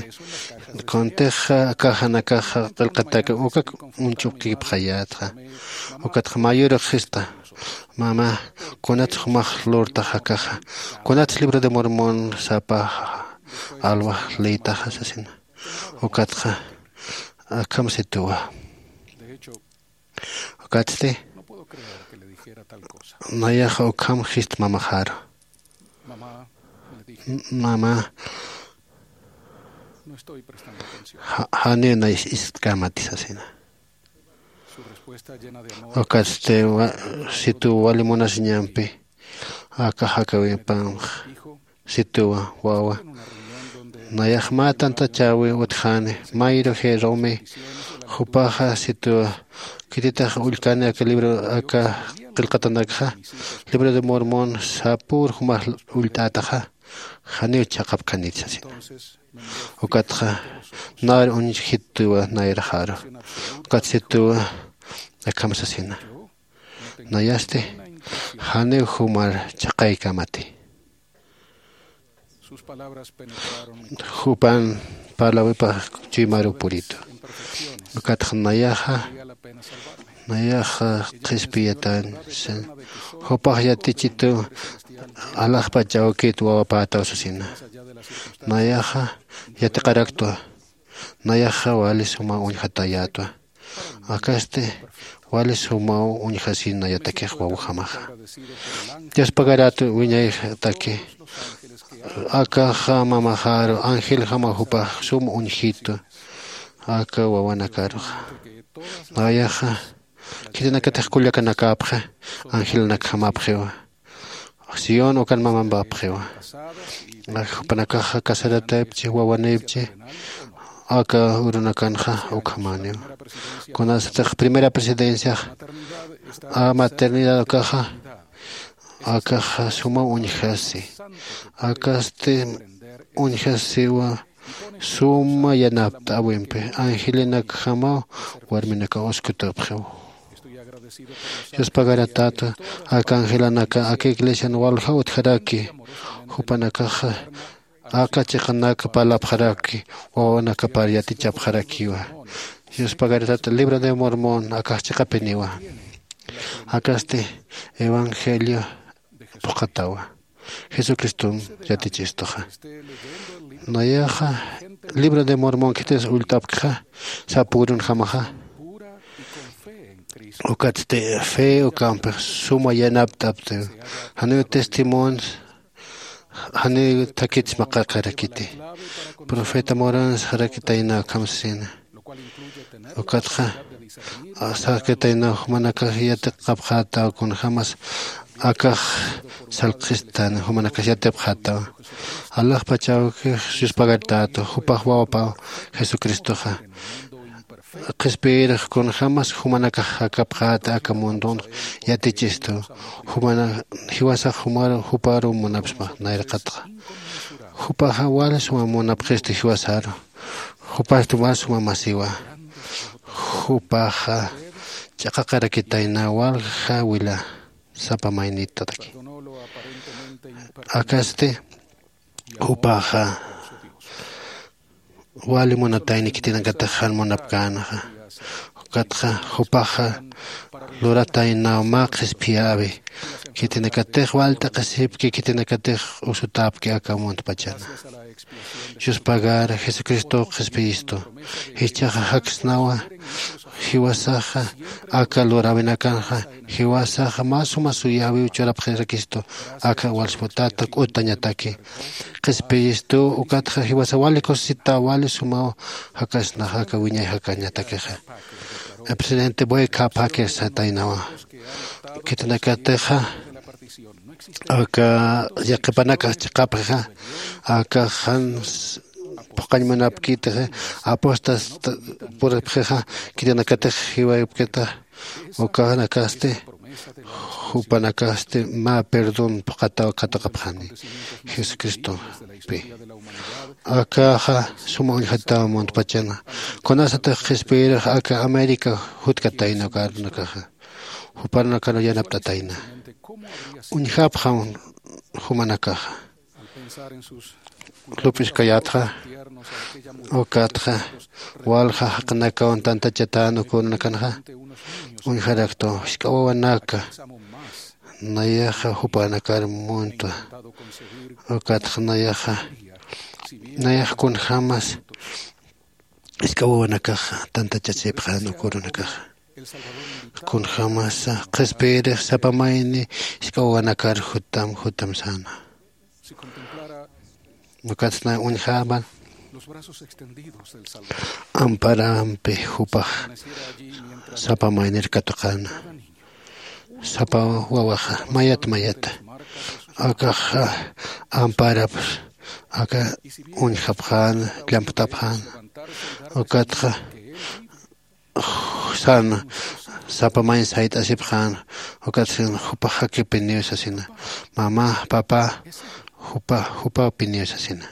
kuntix akaxanakaxa qillqatak ukak uñch'upkipxayätxa. Ukatxa mayürux jista, mama, kunats jumax lurtax akaxa? Kunats libro de mormon sapa alwax leytaxa sasina? Ukatxa akham situwa. Ukatsti nayaxa ukham jist mamaxaru, mama, janiw nay ist'kämati sasina. Ukatsti situw wali munasiñampi aka jakawipamx situwa, wawa, nayax mä tantachäwi utjäni mayru jerumi. Jupaxa situwa, khititix ullkani aka libro aka qillqatanakxa, libro de mormon sapür jumax ullt'ätaxa, janiw chhaqapkänit sasina. Ukatxa nar uñjituwa nayraxaru. Ukat situwa akham sasina. Nayasti janiw jumar chhaqaykämati. Jupan parlawipax chuymaru puritu. Ukatxa nayaxa nayaxa qhispiyatañ. Jupax yatichitu alaxpach awkit wawapätaw sasina. Nayaxa yatiqaraktwa. Nayaxa wali suma uñjatayätwa. Akasti wali sumaw uñjasin nayatakix wawjamaxa. Dios pagarätu wiñayataki. Akaxa mamaxaru angeljama jupax sum uñjitu aka wawanakaruxa. Nayaxa khitinakatix kullakanakäpxi, angelnakjamapxiwa. Sión ukan mamampapxiwa. Jupanakaxa casarataypchi wawanipchi, aka urunakanxa ukhamaniw. Kunasatix primera presidenciax a maternidad ukaxa akaxa suma uñjasi. Akasti uñjasiwa suma yanapt'äwimpi angelinakjamaw warminakaw uskutupxiw. Yuspagaratäta aka angelanaka aka iglesian walja utjaraki. Jupanakaxa aka chiqanak parlapxaraki wawanakapar yatichapxarakiwa. Yuspagaratäta libro de mormón akax chiqapiniwa. Akasti evangelio phuqhatawa jesucriston yatichistuxa. Nayaxa libro de mormón khitis ullt'apkxa sapürunjamaxa ukatsti fe ukampix suma yanapt'aptiw. Janiw testimonio janiw thakits maqaqarakiti profeta morans jarakitayna ukhamsasina. Ukatxa sarakitayna jumanakax yatiqapxätaw kunjämas akax salqistan jumanakax yatipxätaw. Alaxpachawkix yuspagartätu jupax wawapaw jesucristoxa qhispiyirix kunjämas jumanakax jakapxäta aka mundon yatichistu. Jumana jiwasax jumaru juparu munapsma nayraqatxa jupaxa wali suma munapxistu jiwasaru. Jupastu wali suma masiwa. Jupaxa ch'aqaqarakitayna walja wila sapa maynitataki. Akasti jupaxa wali munatayni khitinakatix jan munapkänxa. Ukatxa jupaxa lurataynaw mä qhispiyäwi khitinakatix wal t'aqhisipki khitinakatix usutäpki aka muntpachana. Yuspagar jesucristow qhispiyistu. Jichhaxa jaksnawa jiwasaxa aka luräwinakanxa jiwasaxa mä suma suyäwiw churapxirakistu. Aka walsputata k'utañataki qhispiyistu. Ukatxa jiwasa wali kusisita wali sumaw jakasnaxa aka wiñay jakañatakixa. Presidente boy khapakir sataynawa khitinakatixa aka yaqhipanakax chiqapxixa aka jan phuqañ munapkitixa apostas puripxixa khitinakatix jiwaypkita. Ukanakasti jupanakasti mä perdón phuqhataw katuqapxani jesucristompi. Akaxa suma uñjataw muntpachana. Kunasatix qhispiyirix aka américa jutkatayna uka arunakaxa jupanakaru yanapt'atayna uñjapxam jumanakaxa. Lup'iskayatxa ukatxa walja jaqinakawan tantachatan uka urunakanxa uñjaraktu jisk'a wawanaka nayaxa jupanakar muntwa. Ukatxa nayaxa nayax kunjämas jisk'a wawanakaxa tantachasipxän uka urunakaxa. Kunjämasa qhispiyirix sapa mayni jisk'a wawanakar jutam jutam säna. Ukatsa uñjäman amparampi jupax sapa maynir katuqäna. Sapa wawaxa mayat mayata akaxa amparap aka uñjapxäna llamptapxäna. Ukatxa sana sapa mayn sayt'asipxäna. Ukatxa jupax jakipiniw sasina. Mamá papá jupa jupapiniw sasina.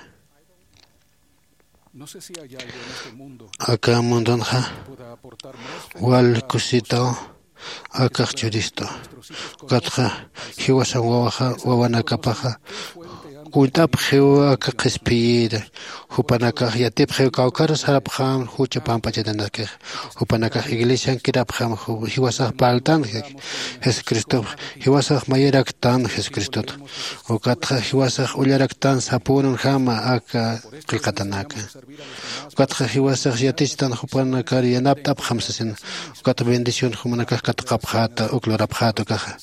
Aka mundunxa wal kusitaw akax churistu. Ukatxa jiwasan wawaxa wawanakapaxa kunt'apxiw aka qhispiyir. Jupanakax yatipxiw kawkharus sarapxam jucha pamp'achatanakix. Jupanakax iglesian kirapxam jiwasax parltan jesucristox jiwasax mayiraktan jesucristota. Ukatxa jiwasax ullaraktan sapünunjama aka qillqatanaka. Ukatxa jiwasax yatichistan jupanakar yanapt'apxam sasina. Ukatxa bendición jumanakax katuqapxäta uk lurapxäta ukaxa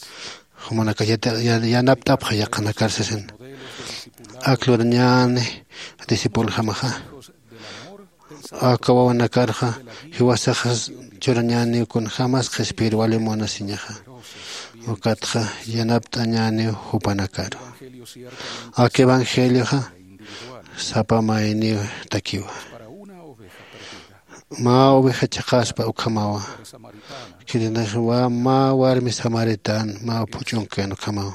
jumanakax yanapt'apxa yaqhanakar sasina. Ak lurañäni discipuljamaxa aka wawanakarxa jiwasaxas churañäniw kunjämas qhispiyir wali munasiñaxa. Ukatxa yanapt'añäniw jupanakaru. Aka evangelioxa sapa mayniw takiwa. Mä oveja chhaqaspa ukhamawa. Khitinxa mä warmi samaritana mä phuch'unkan ukhamawa.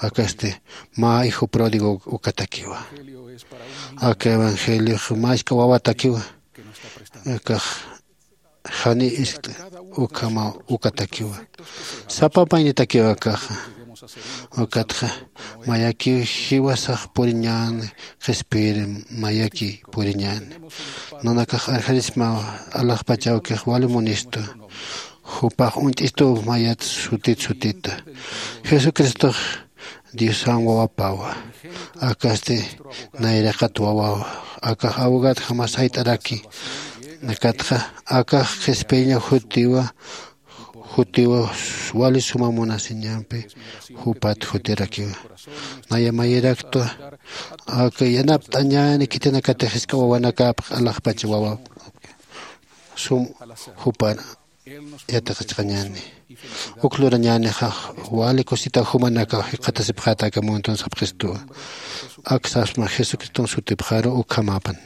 Akasti mä hijo pródigo ukatakiwa. Aka evangeliox mä jisk'a wawatakiwa. Akax jani ist'ta ukhamaw ukatakiwa. Sapa maynitakiw akaxa. Ukatxa mayakiw jiwasax puriñäni, qhispiyiri mayaki puriñäni. Nanakax arjarismaw alaxpach awkix wali munistu. Jupax uñt'istuw mayat sutit sutita. Jesucristox Diosan wawapawa. Akasti nayraqat wawawa. Akax abogadjama sayt'araki. Akatxa akax qhispiyaña jutiwa, jutiwa wali suma munasiñampi jupat jutirakiwa. Naya mayiraktwa aka yanapt'añäni khitinakatix jisk'a wawanakapx alaxpach wawa sum jupan yatiqachxañäni. Uk lurañänixa wali kusita jumanakaw jikxatasipxäta aka muntun sapxistuwa. Ak sapsma Jesucriston sutipxaru ukhamäpan.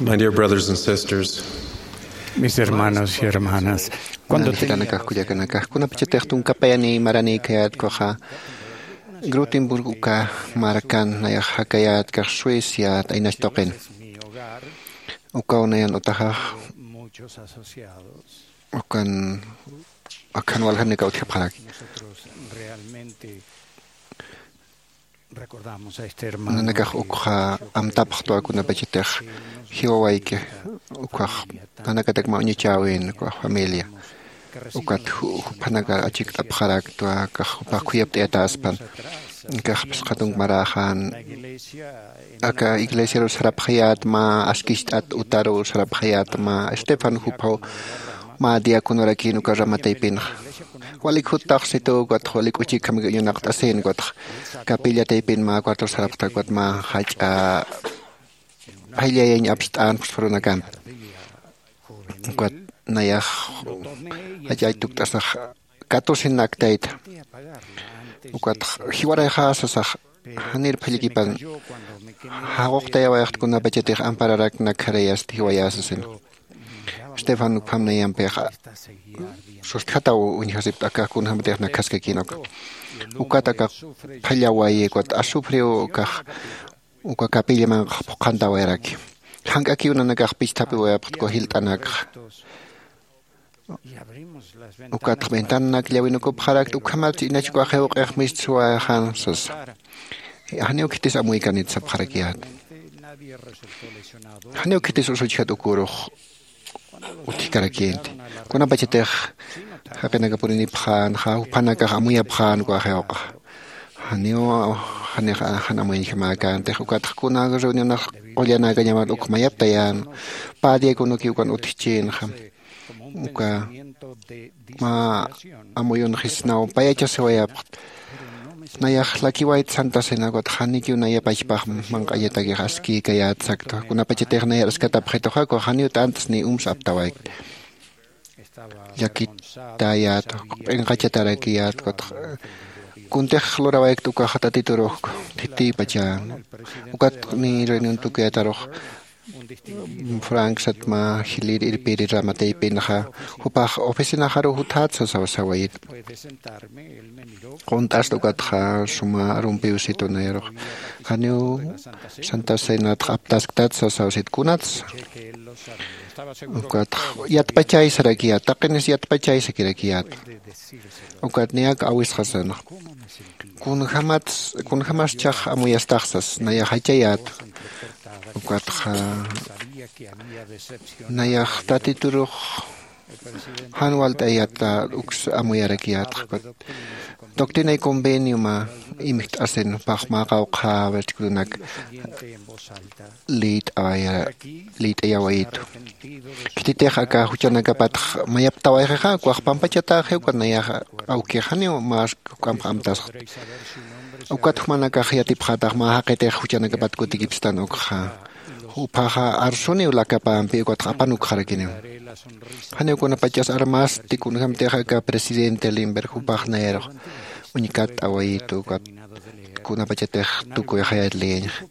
My dear brothers and sisters, Mis hermanos y hermanas, cuando te... Jilanakax kullakanakax, kunapachatix tunkapayani marani kayätkuxa, Grotenburg uka markan nayax jakayätkax Suecia t'aynach tuqin. Ukaw nayan utaxax ukan akhan waljanakaw utjapxaraki. Nanakax ukxa amtapxtwa kunapachatix jiwawayki ukxax nanakatak mä uñachäwin ukxa familia. Ukat juphanakar achikt'apxaraktwa akax jupax khuyapt'ayatäspan. Akax phisqa tunk maräxan aka iglesiaru sarapxayätma, askicht'at utaru sarapxayätma. Estefan juphaw mä diaconorakin uka rama taypinxa. Walik juttaxsitu ukatx walik uchikjamik uñunaqt'asin ukatx capilla taypin mä cuartor sarapxta ukat mä jach'a phayllayañ apst'an phusphurunakam. Ukat nayax jach'ach tukt'asax catorce naktayta. Ukatx jiwarayxä sasax, janir phallikipan jaquqtayawayxt kunapachatix ampararak nakjarayasti jiwayä sasin. Estefan ukham nayampix sustjataw uñjasipta akax kunjämatix nakjaskakin uka. Ukat akax phallawayi ukat azufriw ukax uka capilla manq'ax phuqhantawayaraki. Jank'akiw nanakax pichthapiwayapxtku jilt'anakxa. Ukatx ventananak llawinukupxarakta ukhamatsa inach ukax jiwq'ix mistsuwayxan sasa. Janiw khitis amuykanit sapxarakiyät. Janiw khitis usuchjat ukürux utjkarakinti. Kunapachatix jaqinaka purinipxänxa juphanakax amuyapxän uka jiwq'a. Janiw janix jan amuyañjamäkäntix ukatx kuna reunionax qullanakañamat uk mayaptayän. Pä diaconokiw ukan utjchinxa. Uka mä amuyunxisnaw payachasiwayapxt. Nayax lakiwayt santa cena ukat janikiw naya pachpax manq'añatakix askïkayät saktwa kunapachatix nayar askatapxituxa ukax janiw t'antas ni umsa aptawaykt. Llakitayät q'inqachatarakiyät ukat kuntix lurawaykt ukax tatiturux thitipachan. Ukat ni reunión tukuyatarux frank satma jilir irpiri rama taypinxa jupax oficinaxaru juthat sasaw sawayit. Qunt'asta ukatxa suma rumpiw situnirux janiw santa cenatx aptasktat sasaw sit kunats. Ukatx yatpachay sarakiyät taqinis yatpachay sakirakiyät. Ukat niyak awisxasanx kunjämats kunjämaschhax amuyastaxsas nayax jachayät. Ukatxa nayax tatiturux jan walt'ayata uks amuyarakiyätx. Ukat doctrina y convenioma imjt'asin jupax mä qawqha versículonak liyt'awaya liyt'ayawayitu. Khititix aka juchanakapatx mayaptawayxixa ukax pampachataxi ukat nayax awkix janiw mä juk'amp amtasxt. Ukat jumanakax yatipxätax mä jaqitix juchanakapat kutikipstan ukxa. Juphaxa arsuniw lakapampi ukatx apanukxarakiniw. Janiw kunapachas armasti kunjämtix aka presidente limber jupax nayarux uñkatt'awayitu ukat kunapachatix tukuyxayat liyañxa.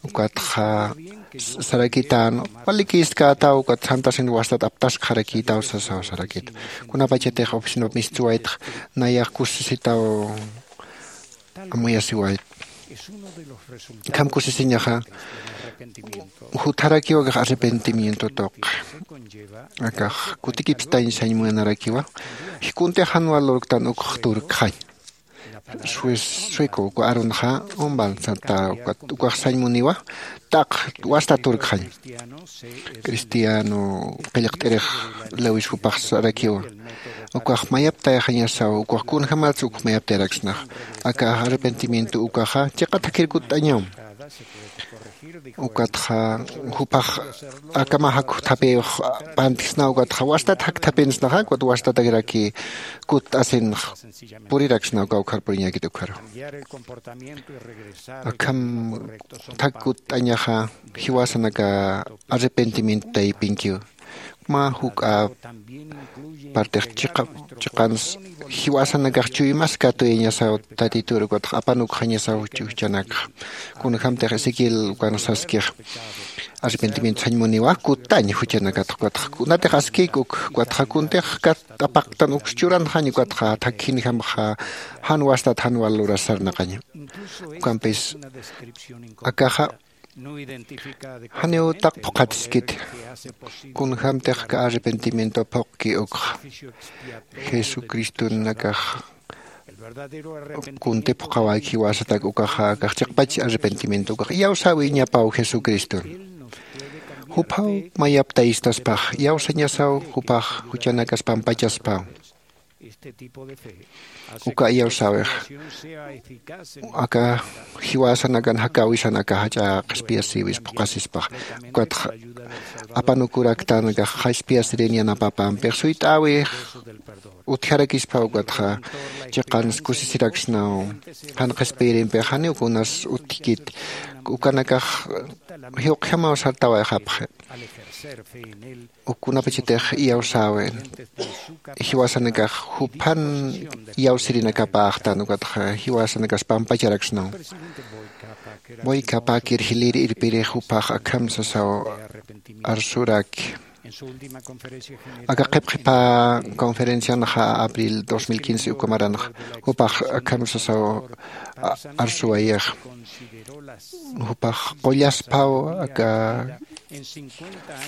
Ukatxa sarakitän walikïstkätaw ukat santasin wastat aptaskxarakïtaw sasaw sarakit. Kunapachatix oficinap mistsuwaytx nayax kusisitaw amuyasiwayt. Akham kusisiñaxa jutarakiw akax arrepentimiento tuqi. Akax kutikipstañ sañ munarakiwa. Jikuntix jan wal lurktan ukx turkxañ. Sueco uka arunxa umbal santa ukax sañ muniwa. Taq wasta turkxañ cristiano qillqt'irix lewis jupax sarakiwa. Ukax mayaptayxañasaw ukax kunjämats uk mayaptayaraksnax. Aka arrepentimiento ukaxa chiqa thakhir kutt'añam. Ukatxa jupax akama jakjuthapiwx pantisna ukatxa wastat jakjthapinsnaxa ukat wastatakiraki kutt'asinx. Puriraksna uka ukhar puriñäkit ukharu akham thak kutt'añaxa. Jiwasanaka arrepentimiento taypinkiw. mä juk'a partix chiqa chiqans jiwasanakax chuymas katuyañasaw tatitur ukatxa apanukxañasaw juchanakxa. Kunjämtix ezequiel ukan saskix arrepentimiento sañ muniwa kutañ juchanakatxa ukatxa kunatix askik uk ukatxa kuntix kat apaqtan uks churanxañ ukatxa thakjinjamxa jan wastat jan wal luras sarnaqaña. Ukampis akaxa janiw taq phuqhatiskiti. Kunjämtix aka arrepentimiento phuqki ukxa jesucriston akax kunti phuqhawäki jiwasatak ukaxa akax chiqpach arrepentimiento ukax iyawsäwiñapaw jesucriston. Juphaw mayaptayistaspax iyawsañasaw jupax juchanakas pampachaspaw. Uka iyawsäwix aka jiwasanakan jakäwisan aka jach'a qhispiyasïwis phuqhasispax ukatxa apanukuraktanakax qhispiyasirïn yanapapämpix suyt'äwix utjarakispa ukatxa chiqans kusisiraksnaw. Jan qhispiyirimpix janiw kunas utjkit ukanakax jiwqjamaw sartawayxapxi. Uk kunapachatix iyawsäwin jiwasanakax juphan iyawsirinakapäxtan ukatxa jiwasanakas pampacharaksnaw. Boyka pakir jilïr irpirix jupax akham sasaw arsuraki aka qhipqhipä conferencianxa abril dos mil quince uka maranxa jupax akham sasaw arsuwayax jupax qullaspaw aka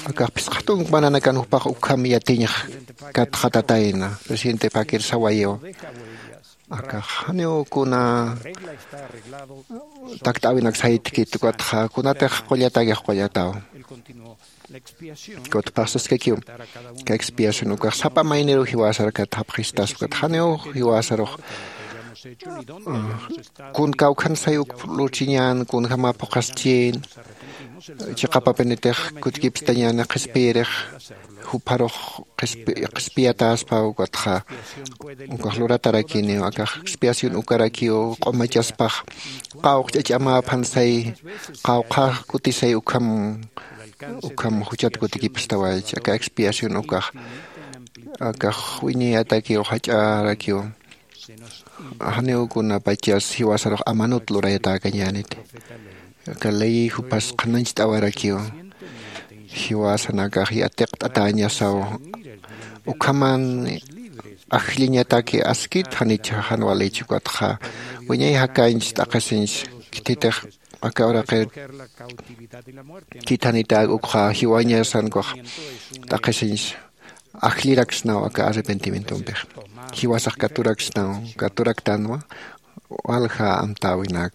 akax phisqa tunk mananakan jupax ukham yatiñx katxatatayna presidente pakir sawayiw. Akax janiw kuna takt'äwinak saytkit ukatxa kunatix qullatakix qullataw. Kutpax saskakiw ka expiación ukax sapa mayniruw jiwasar kathapxistas ukat janiw jiwasarux kun kawkhan say uk lurchiñän kunjäma phuqhaschïn chiqapapinitix kutkipstañäni qhispiyirix jupharux qhispiyatäspa ukatxa ukax luratarakiniw akax expiación ukarakiw q'umachaspax qawqch'ach'amäphan say qawqhax kutisay ukham ukham juchat kutikipstawaychi aka expiación ukax akax wiñayatakiw jach'arakiw janiw kunapachas jiwasarux amanut lurayatäkañäniti. Aka ley jupas qhanañcht'awarakiw jiwasanakax yatiqt'atäñasaw ukhaman ajlliñataki askit janich jan walïchi ukatxa wiñay jakañch t'aqhisiñch khithitix aka uraqir khithanitäk ukxa jiwañasankax t'aqhisiñch ajlliraksnaw aka arrepentimientompix jiwasax katuraksnaw katuraktanwa walja amtäwinak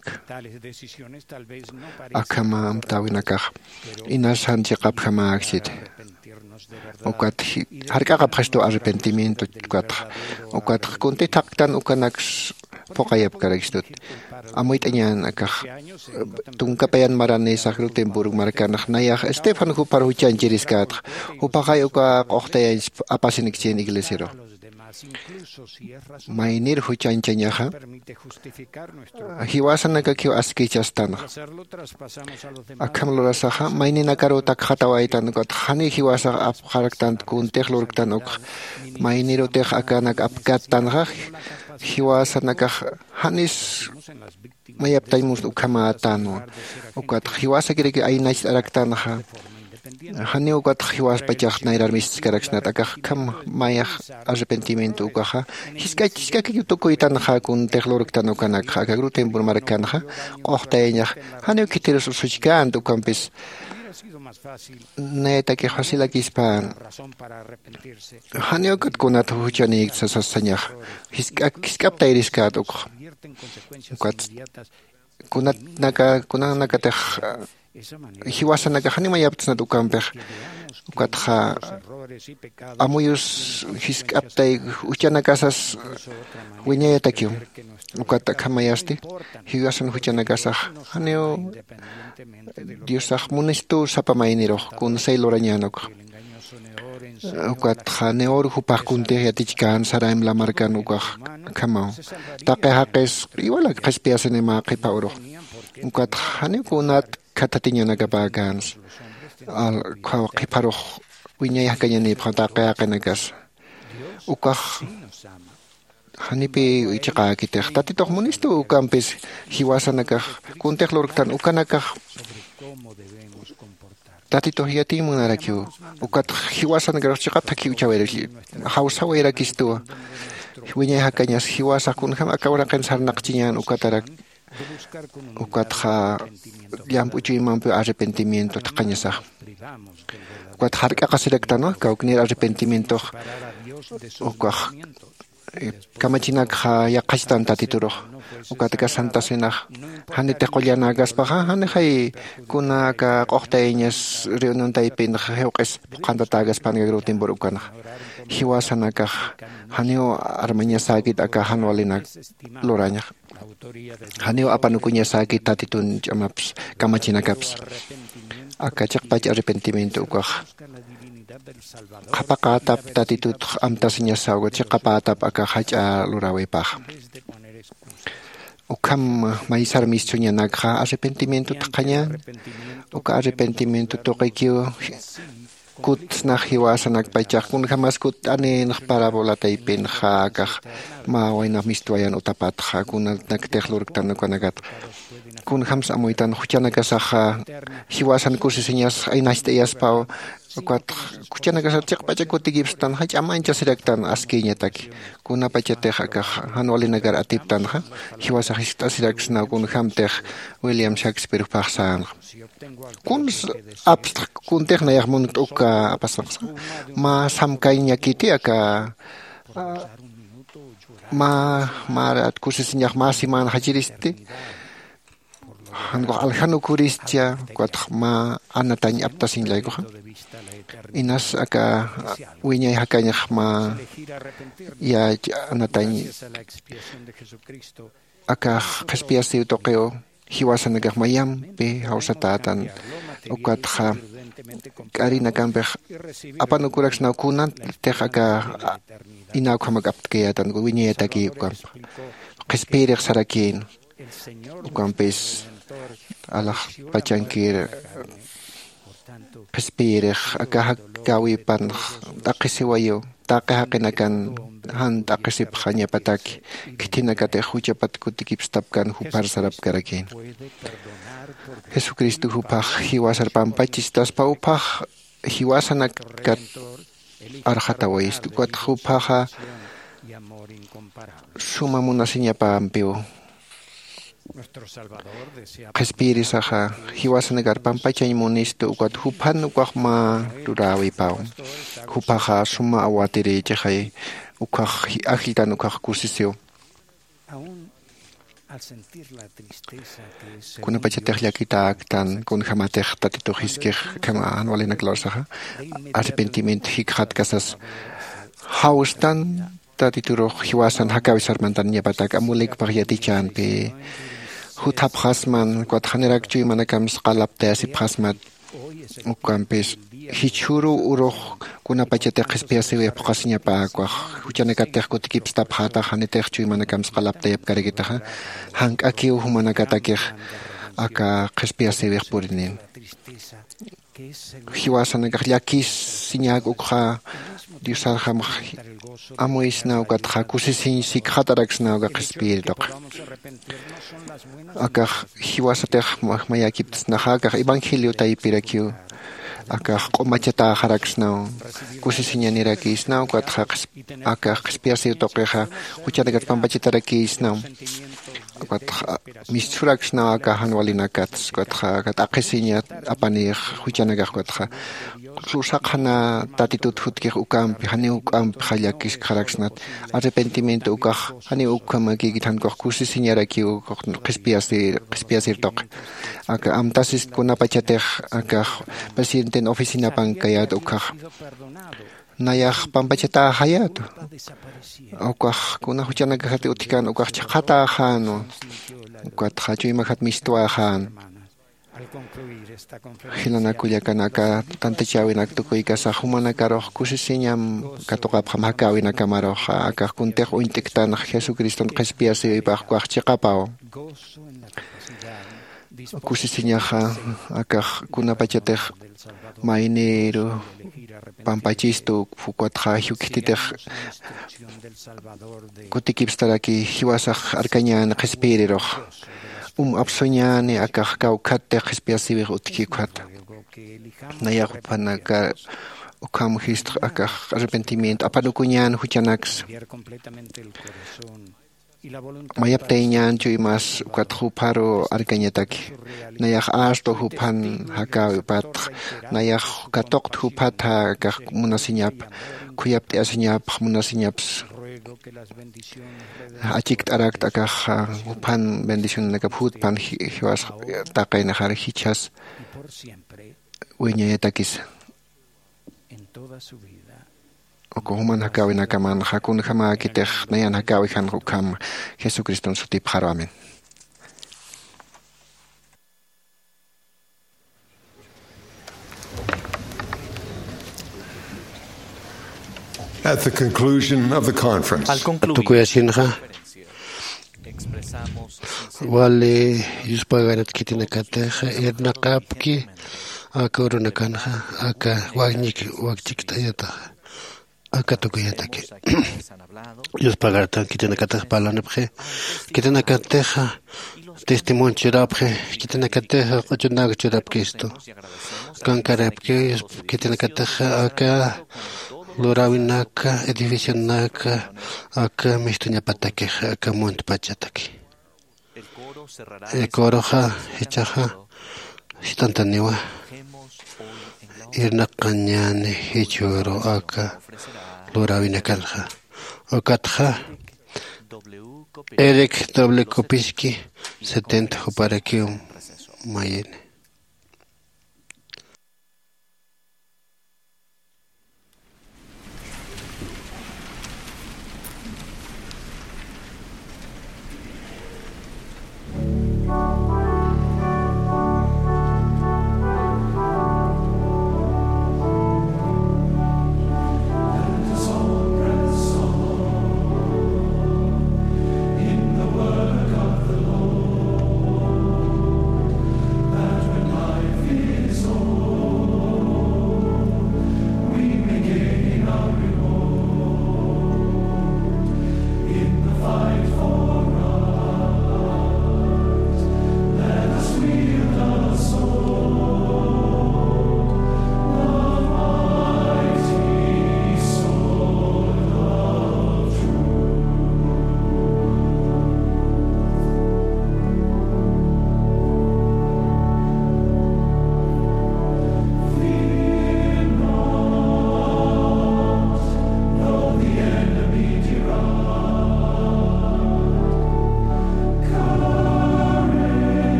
akhama amtäwinakax inasan chiqapjamäkchit ukat jark'aqapxistu arrepentimiento ukatxa ukatxa kunti thaqtan ukanaks phuqayapkarakstut amuyt'añän akax tunkapayan maranïsax rutenburg markanax nayax estefan jupar juchañchiriskätxa jupaxay uka q'uxtayañch apasinikchïn iglesiaru maynir juchañchañaxa jiwasanakakiw askichastanxa akham lurasaxa mayninakaruw takxatawaytan ukatxa janiw jiwasax apxaraktant kuntix lurktan ukxa maynirutix akanak apkattanxa jiwasanakax janis mayaptañ mus ukhamätanwa ukatxa jiwasakiraki aynacht'araktanxa janiw ukatxa jiwaspachax nayrar mistiskaraksnat akax akham mayax arrepentimiento ukaxa jisk'ak jisk'akikiw tukuytanxa kuntix lurktan ukanakxa aka grutenpur markanxa q'uxtayañax janiw khitirus usuchkänti ukampis nayatakix facilakispan janiw ukat kunat juchanïkta sasañax jisk'ak jisk'aptayriskäta ukxa ukat kunatnaka kunanakatix jiwasanakax janiw mayaptsnat ukampix ukatxa amuyus jisk'aptay juchanakasas wiñayatakiw ukat akhamayasti jiwasan juchanakasax janiw diosax munistu sapa maynirux kunsay lurañän ukxa ukatxa neor jupax kuntix yatichkän saraim lamarkan ukax akhamaw taqi jaqis iwalak qhispiyasinimä qhipa urux ukatxa janiw kunat khathatiñanakapäkänsa qhiparux wiñay jakañanïpxam taqi jaqinakasa. Ukax janipi chiqäkitix tatitux munistu. Ukampis jiwasanakax kuntix lurktan ukanakax tatitux yatiy munarakiw. Ukatx jiwasanakarux chiqap thakhi uchhawayrakistuwa. Wiñay jakañas jiwasax kunjäm aka uraqin sarnaqchiñän ukatarak ukatxa llamp'u chuymampiw arrepentimiento thaqhañasax. Ukatxa jark'aqasiraktanwa kawknir arrepentimientox. Ukax kamachinakxa yaqhachtan tatiturux. Ukat aka santa cenax janitix qullanäkaspaxa janixay kuna aka q'uxtayañas reunión taypinxa jiwq'is phuqhantatäkaspan aka grupo timpur ukanxa. Jiwasanakax janiw armañasäkit aka jan walinak lurañax. Janiw apanukuñasäkit tatitun ch'amaps kamachinakaps. Aka chiqpach arrepentimiento ukax qhapaqätap tatitutx amtasiñasaw chiqapätap aka jach'a luräwipaxa. Ukham maysar mistsuñanakxa arrepentimiento thaqhañän. Uka arrepentimiento tuqikiw kutsnax jiwasanakpachax kunjämas kutt'anïnx parabola taypinxa akax mä wayna mistwayan utapatxa kunanaktix lurktan ukanakat. Kunjämsa amuytan juchanakasaxa jiwasan kusisiñas aynacht'ayaspaw. Ukatx juchanakasar chiqpach kutikipstan jach'a manchasiraktan askïñataki. Kunapachatix akax jan walinakar atiptanxa jiwasax jiskt'asiraksnaw kunjämtix william shakespeare juphax sänxa. Kuns apstx kuntix nayax munkt uka apasanxa mä samkañakiti aka mä mä kusisiñax mä semana jachiristi. Jankux aljan ukhuristcha ukatx mä anatañ aptasiñ laykuxa. Inas aka wiñay jakañax mä yach anatañ akax qhispiyasiw tuqiw jiwasanakax mayampi jawsatätan. Ukatxa k'arinakampix apanukuraksnaw kunantix aka inawkhamak aptkayätan wiñayataki ukampa qhispiyirix sarakïn. Ukampis alaxpachankir qhispiyirix aka jakäwipanx t'aqhisiwayiw taqi jaqinakan jan t'aqhisipxañapataki khithinakatix juchapat kutikipstapkan juphar sarapkarakïn. Jesucristo juphax jiwasar pampachistaspa juphax jiwasanakat arxatawayistu ukatx juphaxa suma munasiñapampiw qhispiyirisaxa jiwasanakar pampachañ munistu ukat juphan ukax mä luräwipaw. Juphaxa suma awatirïchixay ukhax ajlltan ukhax kusisiw. Kunapachatix llakitäktan kunjämatix tatitux jiskix akham jan walinak lursaxa arrepentimiento jikxatkasas jawstan tatiturux jiwasan jakawi sarmantañapatak amulikpax yatichänpi juthapxasman ukatxa janirak chuymanakamsa qalaptayasipxasmat. Ukampis jichhüruw urux kunapachatix qhispiyasiwi phuqhasiñapäkwax juchanakatix kutikipstapxätax janitix chuymanakamsa qalaptayapkarakitaxa jank'akiw jumanakatakix aka qhispiyasiwix purinin. Jiwasanakax llakisiñäk ukxa diosarjamx amuysnaw ukatxa kusisiñ sikxataraksnaw aka qhispiyir tuqi. Akax jiwasatix mayäkiptsnaxa akax evangelio taypirakiw akax q'umachatäxaraksnaw kusisiñanirakïsnaw ukatxa akax qhispiyasiw tuqixa juchanakat pampachatarakïsnaw. Ukatxa misturaksnaw aka jan walinakats ukatxa aka t'aqhisiña apanïx juchanakax ukatxa lur saqhana tatitut jutkix ukampi janiw juk'ampixa llakiskxaraksnat. Arrepentimiento ukax janiw ukhamakïkit jankux kusisiñarakiw qhispiyasir qhispiyasir tuqi. Aka amtasist kunapachatix akax presidenten oficinapankayät ukhaxa nayax pampachatäxayätu. Ukax kuna juchanakajat utjkän ukax chhaqhatäxänwa ukatxa chuymakjat mistwäxän. Jilanak kullakanaka tantachäwinak tukuykasax jumanakarux kusisiñam katuqapxam jakäwinakamarux akax kuntix uñt'iktanx jesucriston qhispiyasïwipax ukax chiqapaw. Kusisiñaxa akax kunapachatix mayniru pampachistu, ukatxa jiwkhititix kutikipstaraki jiwasax arkañäni qhispiyirirux. Um apsuñäni akax kawkhattix qhispiyasiwix utjki ukhata. Nayax juphanaka ukham jistx akax arrepentimiento apanukuñän juchanaksa. Mayaptayñän chuymas ukat jupharu arkañataki. Nayax astu juphan jakäwipatx, nayax katuqt juphatxa akax munasiñap, khuyapt'ayasiñapx munasiñaps. Achikt'arakt akax juphan bendicionanakap jutpan ji-, jiwas taqinxar jichhas wiñayatakisa. Uka juman jakäwinakamanxa kunjamäkitix nayan jakäwijan ukham Jesucriston sutipxaru. Amén. At the conclusion of the conference, Tukuyasinxa, wali yuspaganat khitinakatix irnaqapki aka urunakanxa, aka wakñik, wakchikt'ayataxa, aka tukuyataki. Yuspagaratan khitinakatix parlanipxi, khitinakatix testimonio churapxi, khitinakatix q'uchunak churapkistu. Kankarapki, khitinakatix aka luräwinaka, edificionaka, aka mistuñapatakix, aka muntpachataki. Coroxa jichhaxa jist'antaniwa, irnaqañäni jichhüru aka luräwinakanxa. Ukatxa Eric W. Kopiski setenta juparakiw mayini.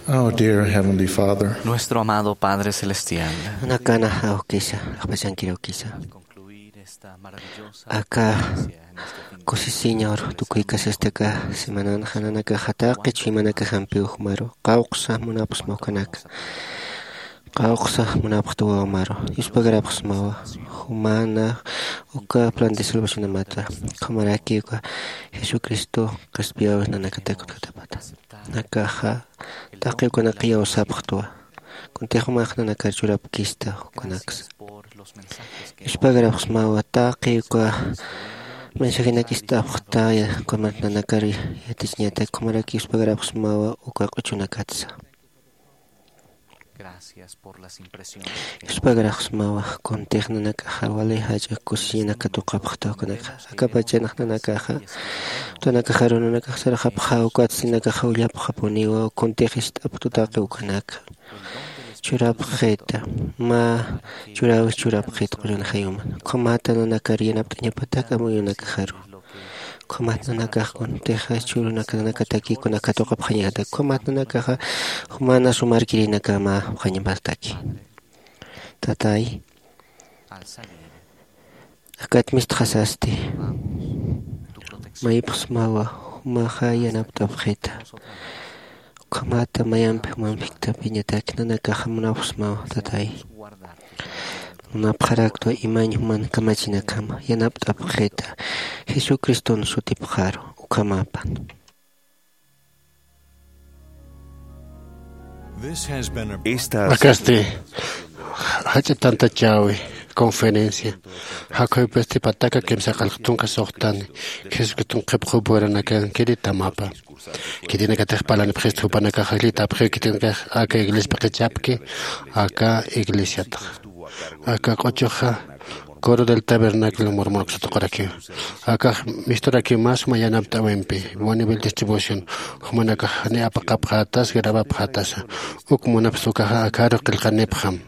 Our dear Heavenly Father, Nuestro amado Padre Celestial, Nanakana awkisa, ajpachankir awkisa. Aka kusisiña uru tukuykasistaka semananxa nanakaxa taqi chuymanakaxampiw jumaru qawqsa munapxsma ukanaka. Qawqsa munapxta wawamaru. Yuspagarapxsmawa jumana uka plan de salvacionamata. Ukhamaraki uka Jesucristo qhispiyäwis nanakatak utjatapata. Nakaxa taqi ukanaka iyawsapxtwa. Kuntix jumax nanakar churapkista ukanaksa. Yuspagarapxsmawa taqi uka mensajenak ist'apxta, ukamat nanakar yatichiñatak, ukhamaraki yuspagarapxsmawa uka q'uchunakatsa. Yuspagarapxsmawa kuntix nanakaxa wali jach'a kusisiñanaka tuqapxta ukanakxa. Akapachanx nanakaxa utanakaxaru nanakax sarxapxa ukatsti nanakaxa ullapxapuniwa, kuntix ist'apxta taqi ukanaka. Churapxita, mä churäwis churapxita qullan jayuman. Ukhamata nanakar yanapt'añapatak amuyunakaxaru. Ukhamat nanakax kuntixa churunaka nanakataki kunaka tuqapxañatak. Ukhamat nanakaxa jumana sumarkirinakama apxañapataki. Tatay, akat mistxasasti. Maypxsmawa jumaxa yanapt'apxita. Ukhamata mayampi jumampiktapiñatak nanakaxa munapxsmawa, tatay. Munapxaraktwa imañ juman kamachinakama yanapt'apxita. Jesucriston sutipxaru ukhamapan. Esta Akasti jach'a tantachäwi conferencia. Jakhuypisti pataka kimsa qallq tunka suxtani Jesucriston qhipxup wiranakankiri tamapa. Khitinakatix parlanipxista jupanakaxa jillitäpxiw khitinakax aka iglesiapi qichapki, aka iglesiatax. Aka q'uchuxa Coro del Tabernáculo Mormonaksat tuqurakiw. Akax misturakiw mä suma yanapt'äwimpi, Bonneville Distribution, jumanakax janiw apaqapxätas, grabapxätasa. Uk munapxsa ukaxa akaru qillqanipxam.